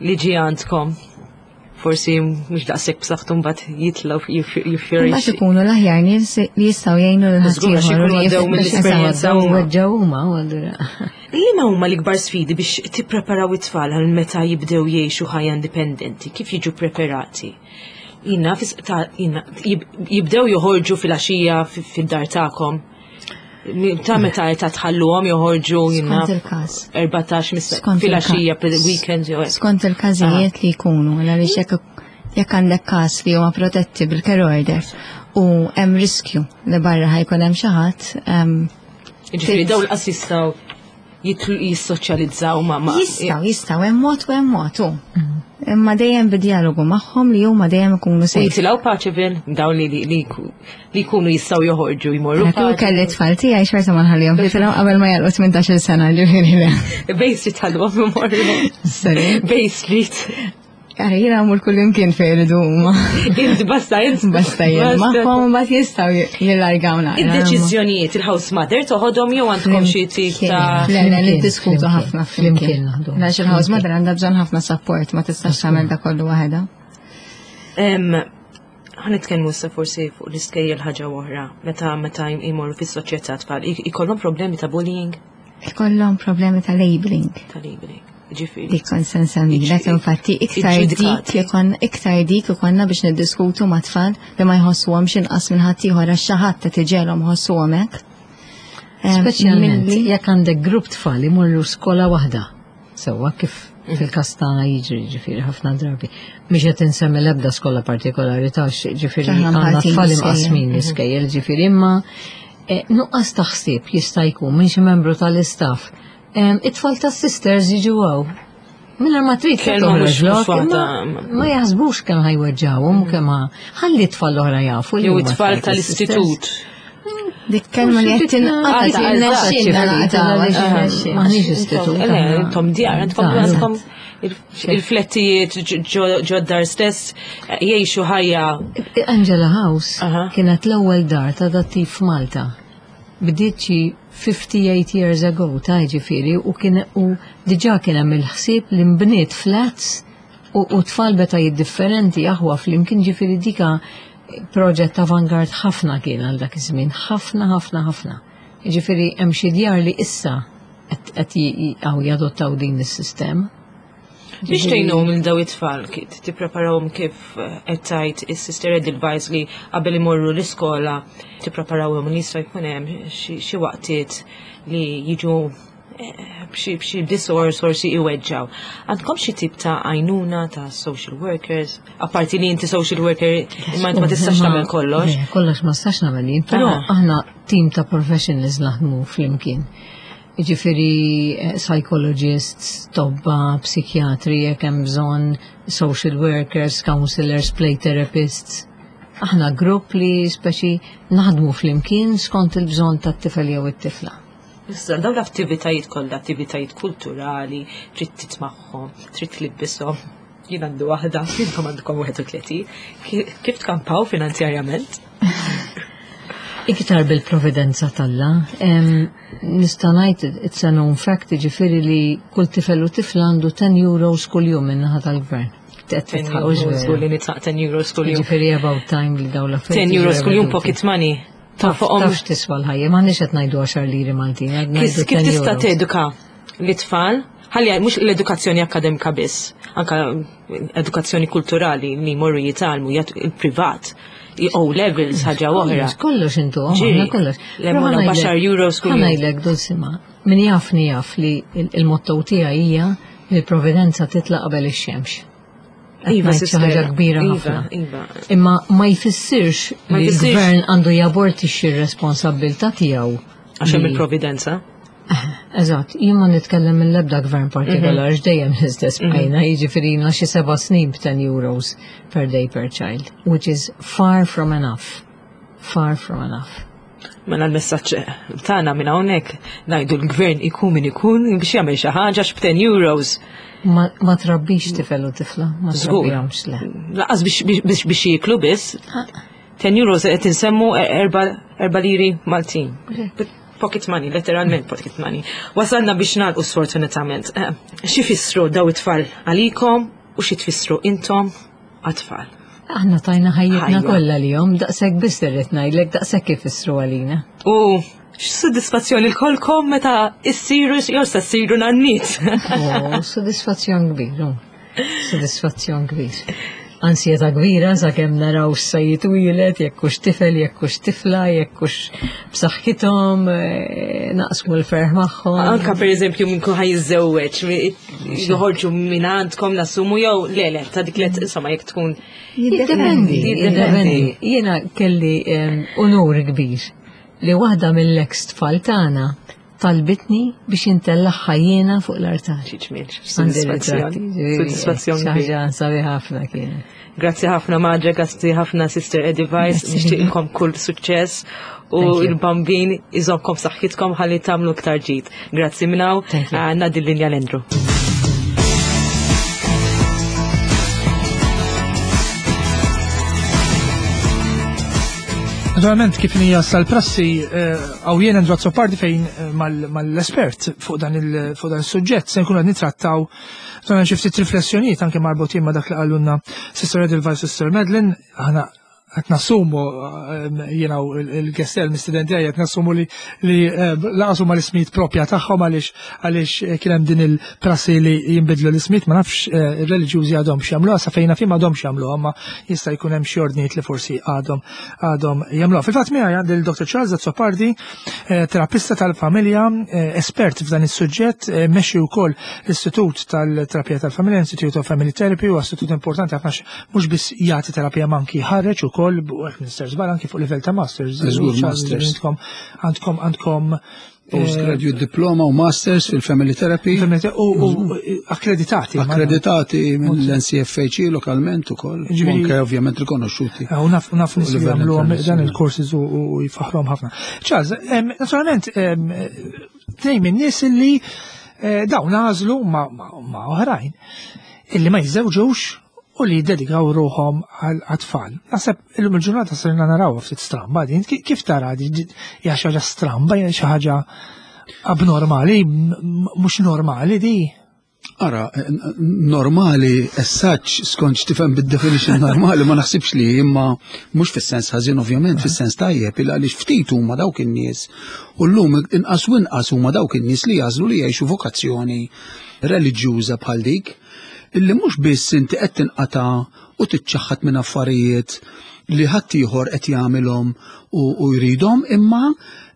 li ġi għandkom forsi mhux daqshekk b'saħħtu mbagħad jitlgħu jiffjorixxi. Mbagħad ikunu l-aħjar nies li jistgħu jgħinu lil ħaddieħor li għaddew mill-esperjenza huma. Weġġgħu huma u allura. Liema huma l-ikbar sfidi biex tippreparaw it-tfal għal meta jibdew jgħixu ħajja indipendenti? Kif jiġu preparati? Jina, jibdew joħorġu fil-għaxija fid-dar tagħkom. Ta' meta ta' tħalluhom joħorġu jina. Skont il-każ. 14 fil-għaxija weekend jew. Skont il-każijiet li jkunu, għaliex jekk jekk għandek każ li huma protetti bil-care order u hemm riskju li barra ħajkun hemm xi ħadd. Ġifieri dawn l-qas jistgħu. Jissoċjalizzaw ma' ma' Jistgħu, jistgħu, hemm mod u hemm mod hu. Imma dejjem bid-dialogu magħhom li huma dejjem ikunu U safe. jitilgħu Paċeville, dawn li li li li jkunu jistgħu joħorġu jmorru. Kieku kelli tfal tiegħi xorta ma nħallihom jitilgħu qabel ma jagħlqu 18-il sena ġifieri le. Bay Street ħalluhom imorru. Sorry. Bay Street. Ara jiena mmur kull imkien fejn iridu huma. Inti basta int. Basta jien magħhom mbagħad jistgħu jillargaw naqra. Id-deċiżjonijiet il-house mother toħodhom jew għandkom xi tip ta' Le, le, Flimkien, niddiskutu flimkien. ħafna Flimkien flimkien. naħdu. Għax il-house mother għandha bżonn ħafna support, ma tistax tagħmel da kollu waħedha. Em, Ħanitkellmu issa forsi fuq l-iskejjel ħaġa oħra, meta meta jmorru fis-soċjetà tfal, ikollhom problemi ta' bullying, Ikollhom problemi ta' labeling. ta' labeling. Ġifieri. Dik kont se nsemmilek, infatti iktar dik Iġġudikati. ikon iktar dik ikonna biex niddiskutu ma' tfal li ma jħossuhomx inqas minn ħaddieħor għax xi ħadd qed iġegħelhom ħossuhom hekk. Speċjalment Milli- jekk għandek grupp tfal imorru skola waħda. Sewwa kif fil-każ tagħna jiġri ġifieri ħafna drabi. Mhix qed insemmi l-ebda skola partikolari ta' ġifieri Aħna għandna mħalltin tfal l-iskejjel. imqasmin l-iskejjel ġifieri imma nuqqas ta' ħsieb jista' jkun minn xi membru tal-istaff. It-tfal tas-sisters jiġu hawn. Mingħajr ma trid Kelma toħroġ mhux lok, waħda. imma ma jaħsbux kemm ħajweġġawhom u kemm ħalli t-tfal l-oħra jafu li Jew huma it-tfal tas-sisters. tal-istitut. Dik kelma li qed tinqata' Eżatt, tirnexxilna naqtgħu. Maħniex istitut. Le, intom djar, għandkom għandkom il-flettijiet ġoddar stess jgħixu ħajja. Angela House Aha. kienet l-ewwel dar ta' dattiv f'Malta. Bdiet xi 58 years ago ta' ġifieri u kien u diġà kien hemm il-ħsieb li nbniet flats u tfal betajiet differenti aħwa flimkien ġifieri dika proġett avant-garde ħafna kien għal dak iż-żmien, ħafna ħafna ħafna. Ġifieri hemm xi djar li issa qed jadottaw din is-sistema. Biex tgħinhom lil daw it-tfal, tippreparawhom kif qed tgħid is-Sister Edelweiss li qabel imorru l-iskola tippreparawhom li jista' jkun hemm xi waqtiet li jiġu b'xi disorders forsi iweġġaw. Għandkom xi tip ta' għajnuna ta' social workers? Apparti li inti social worker imma inti ma tistax tagħmel kollox. Le, kollox ma tistax nagħmel jien, però aħna team ta' professionals naħdmu flimkien. Ġifieri psychologists, tobba, psikjatri, jekk hemm bżonn, social workers, counselors, play therapists. Aħna grupp li speċi naħdmu flimkien skont il-bżonn tat-tifel jew it-tifla. Issa, dawn l-attivitajiet kollha, attivitajiet kulturali, trid titmagħhom, trid tlibbishom. Jien għandu waħda, intom għandkom 31. Kif tkampaw finanzjarjament? Iktar bil-providenza t'Alla. Nista' ngħid it's a known fact, ġifieri li kull tifel u tifla għandu 10 euros kuljum min-naħa tal-gvern. Qed 10 titħaq euros vera. kull li nitaq 10 euros kuljum. Ġifieri about time li dawn l-affarijiet 10 euros jiġu kuljum reveduti. pocket money. Taf Fuqhom tafx tiswa l-ħajja, m'aħniex qed ngħidu 10 liri Maltin, qed ngħidu Kif 10 tista' euros. teduka l-tfal? Ħalli mhux l-edukazzjoni akademika biss, anka edukazzjoni kulturali li jmorru jitgħallmu jagħtu il-privat, O levels ħaġa oħra. Kollox, kollox intu, Ġiri, aħna kollox. le Però morna ħa ngħidlek- baxar euros kuljum. ħa ngħidlek Dulcima, min jafni jaf li il-motto tiegħi hija li l-providenza titla' qabel ix-xemx. Qed Iva, ngħid xi sister. ħaġa kbira Iva, ħafna. iva. Imma ma jfissirx Ma li jfissirx. l-gvern għandu jabortixxi r-responsabbiltà tiegħu. Għax hemm li- il-providenza. Eżatt, jien ma nitkellem mill-ebda gvern partikolari, dejjem l-istess bqajna, jiġifieri ilna xi 7 snin b'10 euros per day per child, which is far from enough. Far from enough. Mela l-messaġġ tagħna minn hawnhekk ngħidu l-gvern ikun min ikun biex jagħmel xi ħaġa x'10 euros. Ma trabbix tifel u tifla, ma Żgur. trabbihomx le. Lanqas biex jieklu biss. 10 euros qed insemmu 4 liri Maltin. Pocket money, letteralment pocket money. Wasalna biex nagħlqu sfortunatament. Xi fissru daw it-tfal għalikom u xi tfissru intom għat-tfal? Aħna tajna ħajjitna Ħajja. kollha lihom, daqshekk biss irrid ngħidlek, daqshekk ifissru għalina. U x'sodisfazzjoni lkolkom meta issiru jew se ssiru nanniet. Oh, sodisfazzjon kbir, oh. Sodisfazzjon kbir. Ansjeta kbira sakemm naraw x'se jitwieled, jekk hux tifel, jekk hux tifla, jekk hux b'saħħithom, naqsmu l-ferħ magħhom. Anka per eżempju minn kun ħa jiżżewweġ, joħorġu minn għandkom nassumu jew le, ta' dik let insomma jekk tkun Jiddependi, Jiddependi. jiddependi. Jiena kelli unur kbir li waħda mill-ex tfal tagħna talbitni biex intellagħha jiena fuq l-artal. Xi ġmiel, sodisfazzjon. Sodisfazzjon. Ħaġa sabi ħafna kienet. Grazzi ħafna Madre, grazzi ħafna Sister Eddie Weiss, nixtieqilkom kull suċċess u l-bambin iżomkom saħħitkom ħalli tagħmlu iktar ġid. Grazzi minnaw, ngħaddi l-linja l-Andrew. Naturalment kif hija sal-prassi eh, għaw jien Andrew Azzopardi fejn eh, mal-espert fuq dan il-suġġett se nkunu qed nitrattaw dan xi ftit riflessjonijiet anke marbutin ma' dak li qalulna Sister Edelweiss Sister Madeline, aħna qed nassumu ehm, jiena il-gestel mistudenti għaj qed nassumu li li ehm, laqas huma l-ismijiet propja tagħhom għaliex għaliex eh, kien hemm din il-prassi li jinbidlu l-ismijiet ma nafx eh, ir-reliġjużi għadhom x'jagħmluha sa fejna fim għadhom x'jagħmluha ma jista' jkun hemm xi ordnijiet li forsi għadhom għadhom jagħmluha. Fil-fatt miegħi għandi l-Dr. Charles Azzopardi, eh, terapista tal-familja, eh, espert f'dan is-suġġett, eh, mexxi wkoll l-Istitut tal-Terapija tal-Familja, Institute of Family Therapy, u istitut importanti ħafna mhux biss jagħti terapija ma anki ħareġ ukoll u hekk Mr. Żball anki fuq livell ta' masters. Għandkom għandkom Postgraduate diploma u masters fil-family therapy. U akkreditati. Akkreditati mill-NCFHE lokalment ukoll. Anke ovvjament rikonoxxuti. U naf naf nies li jagħmlu dan il-courses u jfaħħruhom ħafna. Charles, naturalment tnejn minn nies illi eh, dawn għażlu ma' oħrajn illi ma jiżżewġux u li jiddedikaw ruħhom għal-tfal. Naħseb illum il-ġurnata sirna naraw ftit stramba din, kif tara di hija xi ħaġa stramba, hija xi ħaġa abnormali, mhux normali di. Ara, normali, as such, skont x'tifhem bid-definition normali, ma naħsibx li imma mhux fis-sens ħażin ovvjament, fis-sens tajjeb, il għaliex ftit huma dawk in-nies u llum inqas u inqas huma dawk in-nies li jagħżlu li jgħixu vokazzjoni reliġjuża bħal dik illi mhux biss inti qed tinqata' u tiċċaħħad minn affarijiet li ħaddieħor qed jagħmilhom u jridhom, imma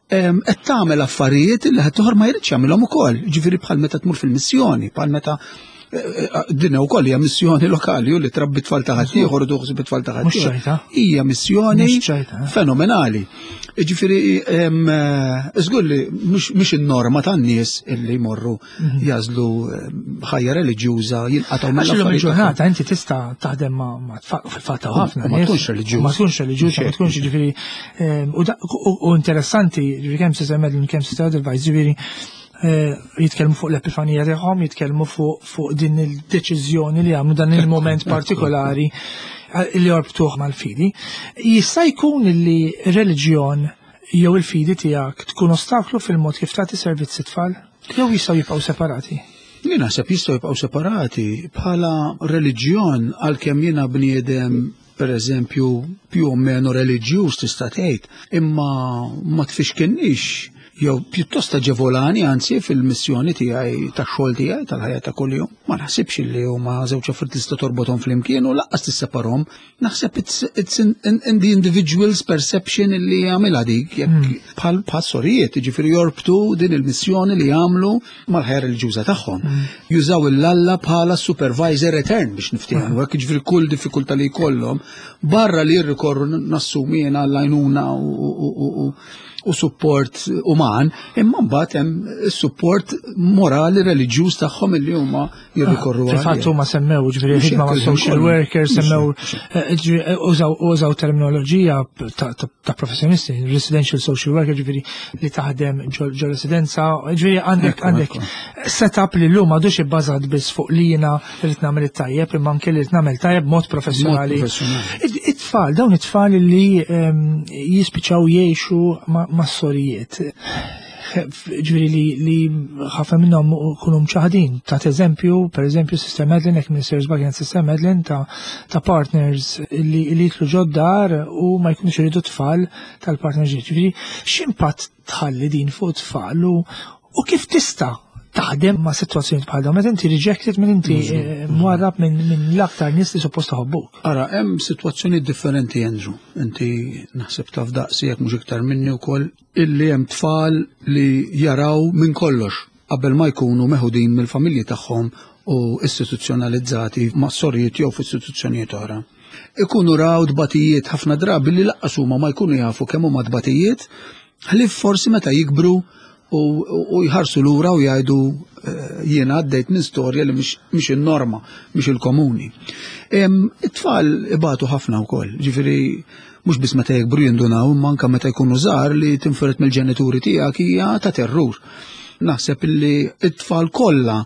qed tagħmel affarijiet li ħaddieħor ma jridx jagħmilhom ukoll. Ġifieri bħal meta tmur fil-missjoni, bħal meta eh, eh, din ukoll hija missjoni lokali u li trabbi tfal ta' ħaddieħor u tuħsib tfal ta' ħaddieħor. Hija missjoni eh. fenomenali. Ġifieri żgur li mhux in-norma tan-nies illi jmorru mhm. jażlu eh, ħajja reliġjuża jinqatgħu mill Għax il-ġurnata inti tista' taħdem ma' tfal fil-fatt ħafna. Ma tkunx reliġjuż. Ma tkunx reliġjuż, ma tkunx ġifieri eh, u interessanti ġifieri kemm se Medlin kemm se Advice ġifieri eh, jitkellmu fuq l-epifanija tagħhom, jitkellmu fuq din il-deċiżjoni li għamlu dan il-moment partikolari li jorbtuh mal-fidi. Jista' jkun li reliġjon jew il-fidi tiegħek tkun ostaklu fil-mod kif tagħti servizzi tfal? Jew jistgħu jibqgħu separati? Jien naħseb jistgħu jibqgħu separati bħala reliġjon għalkemm jiena bniedem per eżempju più o meno reliġjuż tista' tgħid, imma ma tfixkinniex jew pjuttost aġevolani anzi fil-missjoni tiegħi tax-xogħol tiegħi tal-ħajja ta' kuljum. Ma naħsibx li huma żewġ affarijiet tista' torbothom flimkien u lanqas tisseparhom. Naħseb it's, it's in, in, in the individual's perception li jagħmilha dik, jekk hmm. bħal bħal sorijiet, jiġifieri jorbtu din il-missjoni li jagħmlu mal-ħajja reliġjuża tagħhom. Hmm. Jużaw il-Alla bħala supervisor etern biex niftehmu, hmm. hekk jiġifieri kull diffikultà li jkollhom barra li jirrikorru nassumi jiena għall-għajnuna u u support uman, imma mbagħad hemm is-support morali reliġjuż tagħhom illi huma jirrikorru għal. Fil-fatt huma semmew ġifieri ħidma ma' social workers, semmew eh, eh, użaw terminoloġija ta' professjonisti, residential social worker ġifieri li taħdem ġo residenza, ġifieri għandek għandek setup li llum għadux ibbażat biss fuq li jiena rrid nagħmel it-tajjeb imma anke li rrid nagħmel tajjeb mod professjonali. It-tfal, dawn it-tfal li ehm, jispiċċaw jgħixu ma' sorijiet ġviri li, li ħafna minnhom kunu mċaħdin. Ta' eżempju, per eżempju, Sister Madeline, ek Minister Bagian Sister Madeline ta', ta partners li, li jitlu ġoddar u ma jkunux iridu tfal tal-partners. Ġviri, x'impatt tħalli din fuq tfal u, u kif tista' taħdem ma' situazzjoni bħal dawn, meta inti rejected minn inti eh, mwarrab minn min l-aktar nies li suppost ħobbuk. Ara, hemm situazzjoni differenti Andrew. Inti naħseb taf daqsi jekk mhux iktar minni wkoll illi hemm tfal li jaraw minn kollox qabel ma jkunu meħudin mill-familji tagħhom u istituzzjonalizzati ma' sorijiet jew f'istituzzjonijiet oħra. Ikunu raw tbatijiet ħafna drabi li laqqas huma ma jkunu jafu kemm huma tbatijiet, ħlief forsi meta jikbru u jħarsu lura u jgħidu eh, jiena għaddejt minn storja li mhix in-norma, mhix il-komuni. It-tfal ibatu ħafna wkoll, ġifieri mhux biss meta jikbru jindunaw, imma anke meta jkunu żgħar li tinfiret mill-ġenituri tiegħek hija ta' terrur. Naħseb li t-tfal kollha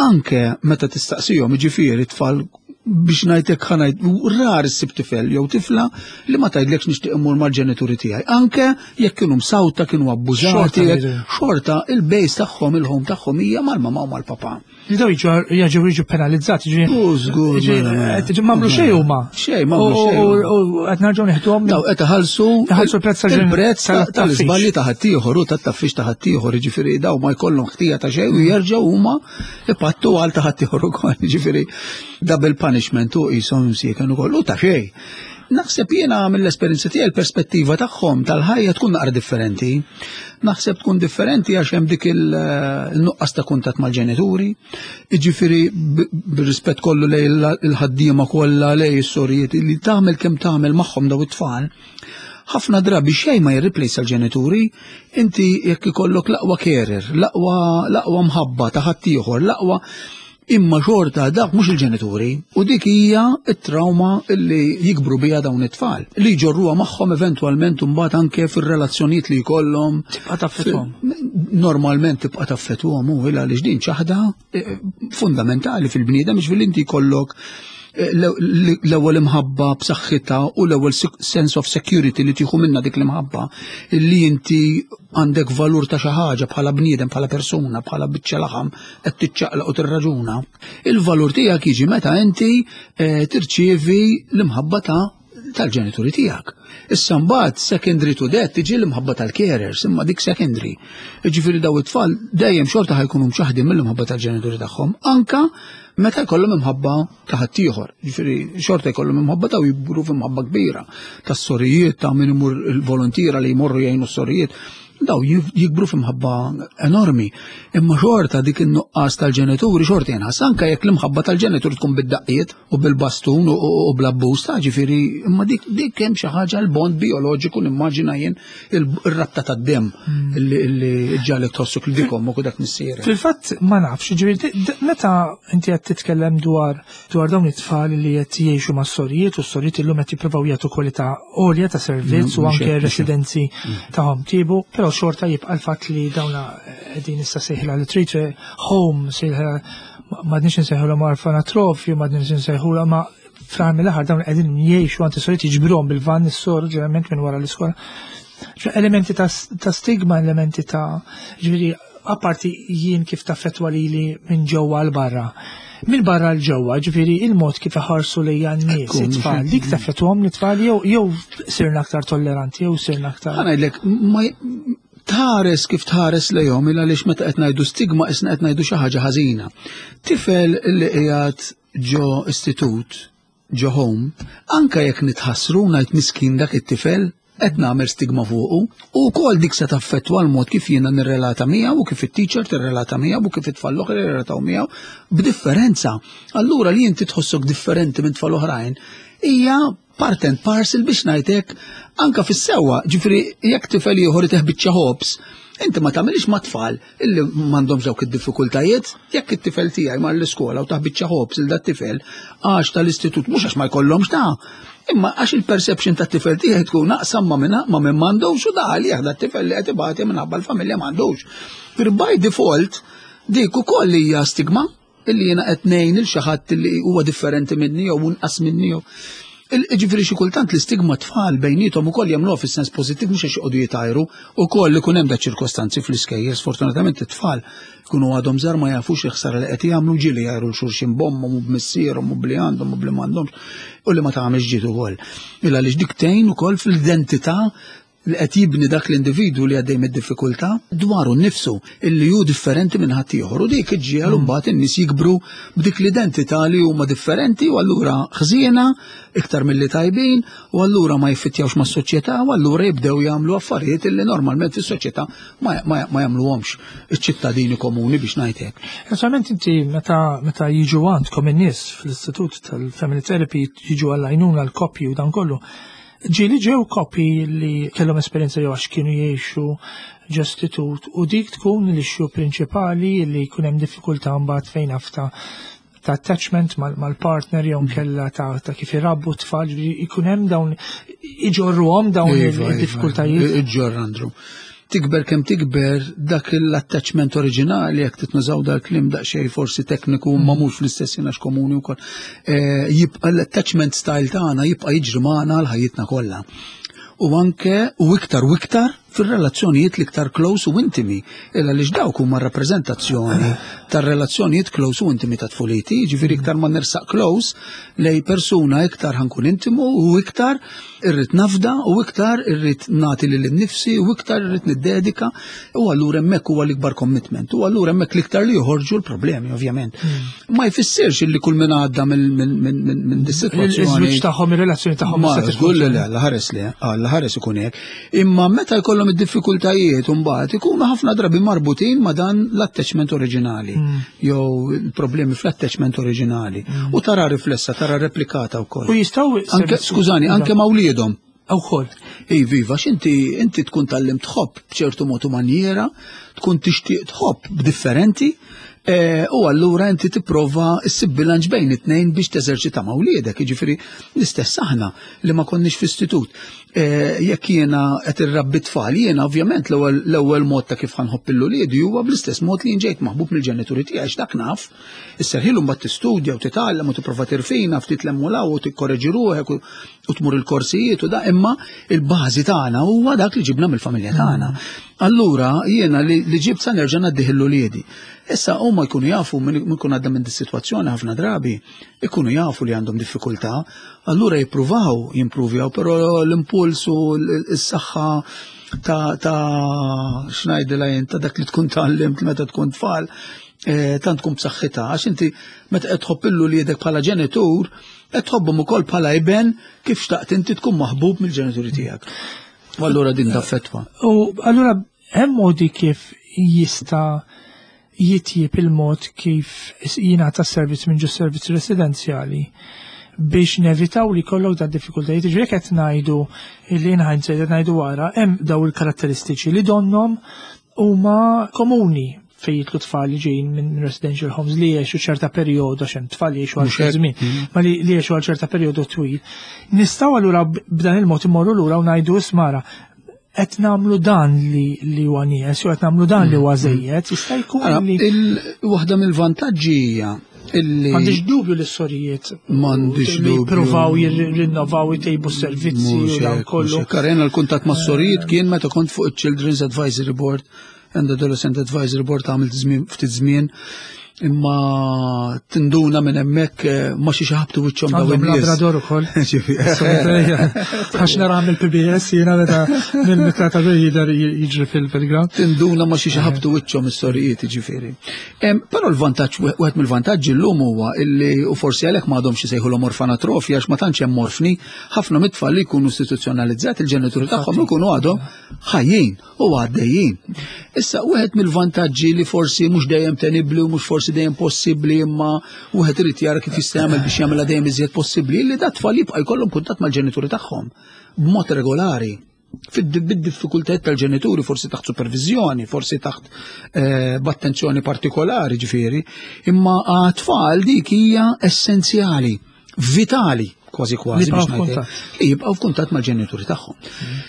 anke meta tistaqsihom, jiġifieri t-tfal biex ngħidlek ħa ngħid rar issib tifel jew tifla li ma tgħidlekx nixtieq immur mal-ġenituri tiegħi. Anke jekk kienu msawta, kienu abbużati, xorta il-base tagħhom, il-home tagħhom hija mal-mama u mal-papa. Li daw jiġu jiġu penalizzati, ġi. Żgur. Mela, mela. M'għamlu xejn huma. Xejn, m'għamlu xejn. U qed nerġgħu nieħduhom. Daw qed iħallsu iħallsu l-prezz il-prezz tal-iżbalji ta' ħaddieħor u tat-taffix ta' ħaddieħor, jiġifieri daw ma jkollhom ħtija ta' xejn u jerġgħu huma ipattu għal ta' ħaddieħor ukoll, jiġifieri double punishment u qishom msieken ukoll u ta' xejn. Naħseb jiena mill-esperjenza tiegħi l-perspettiva tagħhom tal-ħajja tkun naqra differenti. Naħseb tkun differenti għax hemm dik il-nuqqas ta' kuntatt mal-ġenituri. Jiġifieri bir-rispett kollu lejn il-ħaddiema kollha lejn is-sorijiet li tagħmel kemm tagħmel magħhom daw it-tfal. Ħafna drabi xejn ma jirriplejsa l-ġenituri, inti jekk ikollok l-aqwa carer, l-aqwa mħabba ta' ħaddieħor, l-aqwa Imma xorta dak mhux il-ġenituri u dik hija t-trauma li jikbru biha dawn it-tfal li jġorruha magħhom eventwalment imbagħad anke fir-relazzjonijiet li jkollhom. Tibqa' taffetwhom. Normalment tibqa' taffetwhom u għaliex din ċaħda eh, fundamentali fil-bniedem biex inti jkollok eh, l-ewwel imħabba b'saħħitha u l-ewwel sense of security li tieħu minna dik l-imħabba li inti għandek valur ta' xi ħaġa bħala bniedem, bħala persuna, bħala biċċa laħam qed tiċċaqlaq u tirraġuna. Il-valur tiegħek jiġi meta inti eh, tirċievi l-imħabba ta' tal-ġenituri tiegħek. Issa mbagħad secondary to that tiġi l-imħabba tal-carers, imma dik secondary. Jiġifieri daw it-tfal dejjem xorta ħajkunu mċaħdin mill-imħabba tal-ġenituri tagħhom, anka meta jkollhom imħabba ta' ħaddieħor. Ġifieri xorta jkollhom imħabba ta' jibru f'imħabba kbira tas-sorijiet ta' min imur il-volontira li jmorru jgħinu s-sorijiet. Daw jikbru f'imħabba enormi. Imma xorta dik in-nuqqas tal-ġenituri xorta jenħas anke jekk l-imħabba tal-ġenituri tkun bid-daqqiet u bil-bastun u bl-abbuż ta' ġifieri imma dik dik hemm xi ħaġa l-bond bioloġiku nimmaġina jien il-rabta tad-demm hmm. li ġalek tħossuk li dik ommok u dak missierek. Fil-fatt ma nafx, ġifieri meta inti qed titkellem dwar dwar dawn it-tfal li qed jgħixu mas-sorijiet u s-sorijiet illum qed jippruvaw jagħtu kwalità għolja ta' servizz u anke residenzi mm. tagħhom tiebu, però xorta jibqa' l-fatt li dawna qegħdin issa sejħilha li trid home sejħilha m'għadniex insejħulhom orfanatrofju, m'għadniex insejħulha ma fl-aħħar mill-aħħar dawn qegħdin jgħixu għand is-sorijiet jiġbruhom bil-van is-sor ġeneralment minn wara l-iskola. Elementi ta' stigma, elementi ta' ġifieri apparti jien kif taffettwa lili minn ġewwa għal barra. Minn barra l ġewwa, ġifieri il-mod kif iħarsu lejja n-nies, it-tfal, dik taffettwahom l-tfal jew jew sirna aktar tolleranti jew sirna aktar. Ħa ngħidlek, tħares kif tħares lejhom il għaliex meta qed ngħidu stigma isna qed ngħidu xi ħaġa ħażina. Tifel li qiegħed ġo istitut ġo home, anke jekk nitħassru ngħid miskin dak it-tifel, qed nagħmel stigma fuqu, u wkoll dik se taffettwa l-mod kif jiena nirrelata miegħu u kif it-teacher tirrelata miegħu u kif it-tfal l-oħra jirrelataw miegħu b'differenza. Allura li inti tħossok differenti minn tfal oħrajn hija part and parcel biex ngħidlek anka fis-sewwa, ġifieri jekk tifel ieħor itih biċċa ħobż, inti ma tagħmilx ma' tfal illi m'għandhomx dawk id-diffikultajiet, jekk it-tifel tiegħi mar l-iskola u tah biċċa ħobż il dat-tifel għax tal-istitut mhux għax ma jkollhomx ta' imma għax il-perception tat-tifel tiegħi tkun aqsam ma' minn ma' min m'għandux u da għalih dat-tifel li qed ibati minħabba l-familja m'għandux. Per by default dik ukoll hija stigma illi jiena qed ngħin il xi ħadd li huwa differenti minni jew inqas minni jew. Ġifieri xi kultant l-istigma tfal bejniethom ukoll jagħmluha fis-sens pożittiv mhux għax joqogħdu jitajru, ukoll ikun hemm da ċirkostanzi fl-iskejjel, sfortunatament it-tfal ikunu għadhom żgħar ma jafux il-ħsara li qed jagħmlu ġieli jgħajru l xulxin b'ommhom u b'missierhom u bli għandhom u bli m'għandhomx u li ma tagħmilx ġid ukoll. Illa għaliex dik tgħin ukoll fl-identità li qed jibni dak l-individwu li għaddej mid-diffikultà dwaru nnifsu illi hu differenti minn ħaddieħor u dik iġġiegħel mm. mbagħad in-nies jikbru b'dik l-identità li huma differenti u allura ħżiena iktar milli tajbin u allura ma jiffittjawx mas-soċjetà u allura jibdew jagħmlu affarijiet illi normalment fis-soċjetà ma, ma, ma jagħmluhomx iċ-ċittadini komuni biex ngħid hekk. Naturalment inti meta meta jiġu għandkom in-nies fl-istitut tal-family therapy jiġu għall-għajnuna l-koppji u dan kollu. Ġieli ġew koppji li kellhom esperjenza jew għax kienu jgħixu ġo istitut u dik tkun l-issue prinċipali li jkun hemm diffikultà mbagħad fejn afta ta' attachment mal-partner jew kella ta', ta kif irabbu t-tfal, ġifieri jkun hemm dawn iġorruhom dawn Iva, iva, id-diffikultajiet. Iġġorr Andrew. Tikber kemm tikber dak l-attachment oriġinali jekk titnużaw dal-kliem daqsxejn forsi tekniku ma mhux fl-istess jien għax komuni wkoll. Eh, jibqa' l-attachment style tagħna jibqa' jiġri magħna għal ħajjitna kollha. U anke u iktar u iktar fir-relazzjonijiet l-iktar close u intimi, illa għaliex dawk huma rappreżentazzjoni tar-relazzjonijiet close u intimi ta' tfuliti, jiġifieri iktar ma nersaq close lej persuna iktar ħankun intimu u iktar irrid nafda u iktar irrid nagħti lil innifsi u iktar irrid niddedika u allura hemmhekk huwa l-ikbar commitment u allura hemmhekk l-iktar li joħorġu l-problemi ovvjament. Ma jfissirx illi kull min għadda minn dis-sitwazzjoni. Iż-żwieġ tagħhom, ir-relazzjoni tagħhom Ma żgur li le, Alla ħares li, Alla ħares ikun hekk. Imma meta jkollhom id-diffikultajiet mbagħad ikunu ħafna drabi marbutin ma' dan l-attachment oriġinali jew il-problemi fl-attachment oriġinali. U tara riflessa, tara replikata wkoll. U jistgħu Anke, skużani, anke ma' wliedhom. Ukoll. Iva, iva, x'inti inti tkun tallim tħobb b'ċertu mod u manjiera, tkun tixtieq tħobb b'differenti, eh, u allura inti tipprova ssib bilanċ bejn it-tnejn biex teżerċita ma' wliedek, jiġifieri l-istess aħna li ma konniex f'istitut. Eh, jekk jiena qed irrabbi tfal, jiena ovvjament l-ewwel mod ta' kif ħanħobb il-uliedi huwa bl-istess mod li ġejt maħbub mill-ġenituri tiegħi għax dak naf. Isserħilu mbagħad tistudja u titgħallem u tipprova tirfina ftit l-emmulaw u tikkoreġi ruħek u tmur il-korsijiet u da imma il-bażi tagħna huwa dak li ġibna mill-familja tagħna. Allura jiena li ġibt sa nerġa' ngħaddih l-uliedi. Issa huma jkunu jafu minn ikun għadda minn dis-sitwazzjoni ħafna drabi, ikunu jafu li għandhom diffikultà, allura jippruvaw jimpruvjaw, però l-impuls u s-saħħa ta' ta' x'ngħidilha jien ta' dak li tkun tgħallimt meta tkun tfal, eh, tant tkun b'saħħitha għax inti meta qed tħobb illu liedek bħala ġenitur, qed tħobbhom ukoll bħala iben kif xtaqt inti tkun maħbub mill-ġenituri tiegħek. U allura din taffettwa. U allura hemm modi kif jista' jitjieb il-mod kif jingħata servizz minn ġo servizz residenzjali biex nevitaw li kollok da diffikultajiet. Ġifieri qed ngħidu li in hindsight qed ngħidu wara hemm daw il-karatteristiċi li donnhom huma komuni fejn jitlu tfal li ġejjin minn residential homes li jgħixu ċerta perjodu għax hemm tfal li jgħixu għal xi żmien, ma li jgħixu għal ċerta perjodu twil. Nistgħu allura b'dan il-mod immorru lura u ngħidu ismara qed nagħmlu dan li li huwa nieqes jew qed nagħmlu dan li huwa żejjed, jista' jkun Ara, li Waħda mill-vantaġġi hija illi M'għandix dubju li s-sorijiet M'għandix li dubju. jippruvaw jirrinnovaw jtejbu s-servizzi u Mhux dan hekk, mhux kollu. hekk. Ara, jiena l-kuntatt ma' sorijiet kien meta kont fuq il-Children's Advisory Board and Adolescent Advisory Board għamilt żmien ftit żmien imma tinduna minn hemmhekk eh, ma xi ħabtu wiċċhom daw Għandhom in-nies. Labrador ukoll. Ġifieri, Għax nara mill-PBS jiena meta mill-mitra ta' jidher jiġri fil-ground. Tinduna ma xi ħabtu wiċċhom is-sorijiet ġifieri. Em, Però l-vantaġġ wieħed mill-vantaġġi llum huwa illi u forsi għalhekk m'għadhomx isejħulhom orfanatrofi għax ma tantx hemm orfni, ħafna mit-tfal li jkunu istituzzjonalizzati il-ġenituri tagħhom ikunu għadhom ħajjin u għaddejjin. Issa, wieħed mill-vantaġġi li forsi mhux dejjem tenibbli u mhux forsi dejjem possibbli imma wieħed irid jara kif jista' jagħmel biex jagħmilha dejjem iżjed possibbli li dat tfal jibqa' jkollhom kuntatt mal-ġenituri tagħhom b'mod regolari. Bid-diffikultajiet tal-ġenituri, forsi taħt supervizjoni, forsi taħt eh, b'attenzjoni partikolari ġifieri, imma għat-tfal dik hija essenzjali, vitali kważi kważi Li biex jibqgħu ngħid f'kuntatt. li jibqgħu f'kuntatt mal-ġenituri tagħhom.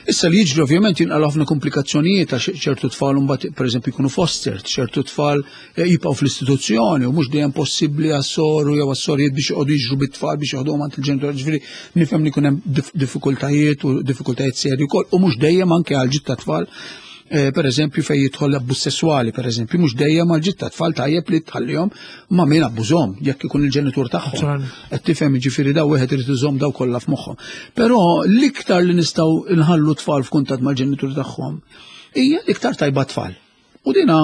Issa li jiġri ovvjament jinqalgħu ħafna komplikazzjonijiet għax ċertu tfal imbagħad pereżempju jkunu fostered, ċertu tfal eh, jibqgħu fl-istituzzjoni u mhux dejjem possibbli għas-soru jew għas-sorijiet biex joqogħdu jiġru bit-tfal biex joħduhom għand il-ġenituri. Ġifieri nifhem li jkun hemm diffikultajiet u diffikultajiet serji wkoll u mhux dejjem anke għal ġid ta' tfal eh, per eżempju fejn jidħol l-abbuż sesswali, per eżempju, mhux dejjem għal ġid ta' tfal tajjeb li tħallihom ma' min abbużhom jekk ikun il-ġenitur tagħhom. Naturalment. Qed tifhem jiġifieri daw wieħed irid iżomm daw kollha f'moħħhom. Però l-iktar li nistgħu nħallu tfal f'kuntatt mal-ġenituri tagħhom hija l-iktar tajba tfal. U dina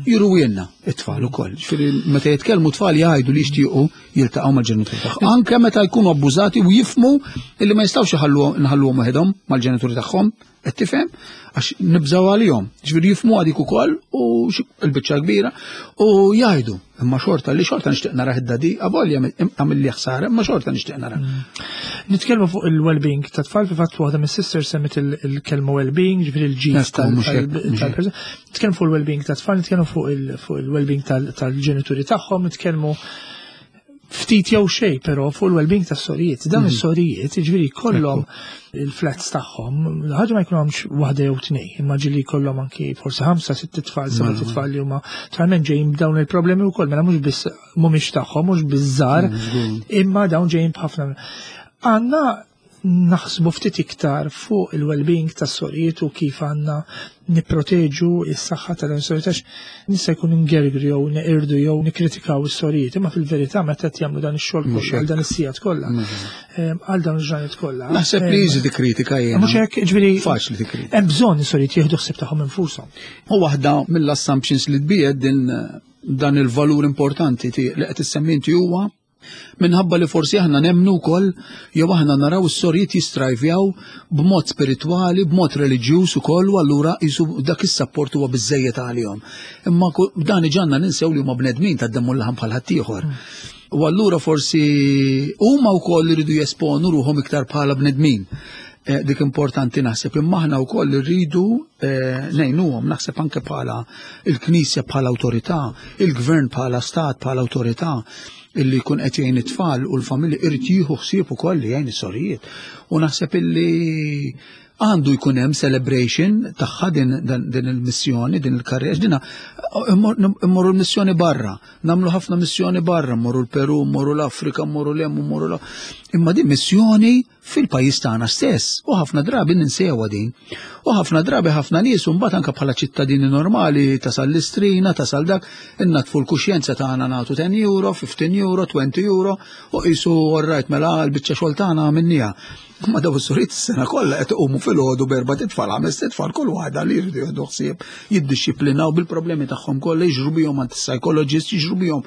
juruwienna it-tfal ukoll. Ġifieri meta jitkellmu tfal jgħidu li jixtiequ jiltaqgħu mal-ġenituri tagħhom. Anke meta jkunu abbużati u jifmu illi ma jistgħux iħallu nħalluhom waħedhom mal-ġenituri tagħhom. Qed tifhem? Għax nibżgħu għalihom. Ġifieri jifhmu għadik ukoll u l-biċċa kbira u jgħidu imma xorta li xorta nixtieq nara id-dadi avolja għamil li ħsara imma xorta nixtieq nara. Mm. Nitkellmu fuq il-well-being ta' tfal fi fatt waħda mis-sister semmit il-kelma well-being, ġifieri l-ġid tal-persuna. Nitkellmu fuq il-well-being ta' tfal, nitkellmu fuq il-well-being tal-ġenituri tagħhom, nitkellmu ftit jew xejn però fuq il-well-being tas-sorijiet. Dawn mhm. is-sorijiet, jiġifieri kollhom il-flats tagħhom, ħaġa ma jkunhomx waħda jew tnej, imma ġieli jkollhom anki forsi ħamsa, sitt tfal, seba' mela. tfal li huma talment ġejjin b'dawn il-problemi wkoll, mela mhux biss mhumiex tagħhom, mhux biż-żgħar, mhm, imma dawn ġejjin b'ħafna. Għandna naħsbu ftit iktar fuq il-well-being tas-sorijiet u kif għandna nipproteġu s-saħħa ta' dawn is-sorijiet għax nista' jkun ingergru jew neqirdu jew nikkritikaw is-sorijiet, imma fil-verità meta qed jagħmlu dan ix-xogħol kollu għal dan is-sigħat kollha, għal dawn il-ġranet kollha. Naħseb li easy tikkritika jiena. Mhux hekk, ġifieri. Faċli tikkritika. Hemm bżonn is-sorijiet jieħdu ħsieb tagħhom infushom. U waħda mill-assumptions li tbiegħed din dan il-valur importanti li qed issemmi inti huwa Minħabba li forsi aħna nemmnu wkoll jew aħna naraw is-sorijiet jistrajvjaw b'mod spiritwali, b'mod reliġjuż ukoll u allura qisu dak is-sapport huwa biżżejjed għalihom. Imma dan iġanna ninsew li huma bnedmin tad-demm u l-laħam bħal ħaddieħor. U allura forsi huma wkoll iridu jesponu ruħhom iktar bħala bnedmin. Eh, dik importanti naħseb imma aħna wkoll irridu eh, ngħinuhom naħseb anke bħala il-Knisja bħala awtorità, il-Gvern bħala stat bħala awtorità illi jkun qed jgħin it-tfal u l-familji irid jieħu ħsieb ukoll li jgħin is-sorijiet. U naħseb illi għandu jkun hemm celebration tagħha din, din il-missjoni, din il-karriera, dina immorru l-missjoni barra, nagħmlu ħafna missjoni barra, mmorru l-Peru, mmorru l-Afrika, mmorru l-hemm, mmorru l Imma din missjoni fil-pajjiż tagħna stess u ħafna drabi ninsewha din. U ħafna drabi ħafna nies u mbagħad anke bħala ċittadini normali tasal l-istrina, tasal dak, innatfu l-kuxjenza tagħna nagħtu 10 euro, 15 euro, 20 euro u qisu orrajt mela l-biċċa xogħol tagħna għamilniha. Ma daw is-suriet is-sena kollha qed iqumu filgħodu b'erba' titfal, ħames titfal kull waħda li jridu jieħdu ħsieb, jiddixxiplinaw bil-problemi tagħhom kollha, jiġru bihom għand is-psychologist, jiġru bihom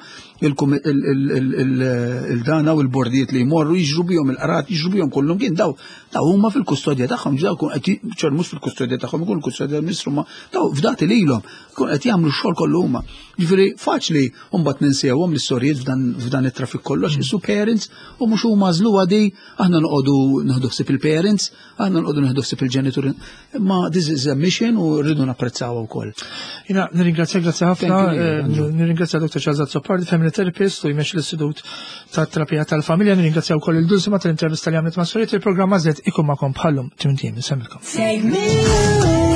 il-dana u l-bordijiet li jmorru jiġru bihom il-qrat, jiġru bihom kullum kien daw, daw huma fil-kustodja tagħhom, daw kun qed ċer mhux fil-kustodja tagħhom, ikun kustodja tal-Ministru ma daw fdati lilhom, kun qed jagħmlu x-xogħol kollu huma. Ġifieri faċli mbagħad ninsewhom l-istorjiet f'dan it-traffic kollox, isu parents u mhux huma żluha di aħna noqogħdu nieħdu ħsieb il-parents, Aħna nqogħdu nieħdu ħsieb il-ġenituri, imma this is a mission u rridu napprezzawha wkoll. Jina nirringrazzjak grazzi ħafna, eh, nirringrazzja Dr. Charles Azzopardi, family therapist u jmexxi l-Istitut tat-Terapija tal-Familja, nirringrazzja wkoll il-Dulsima tal-intervista li għamlet ma' Soriet, il-programma Z ikun magħkom bħallum timtiem, insemmilkom. Take me away.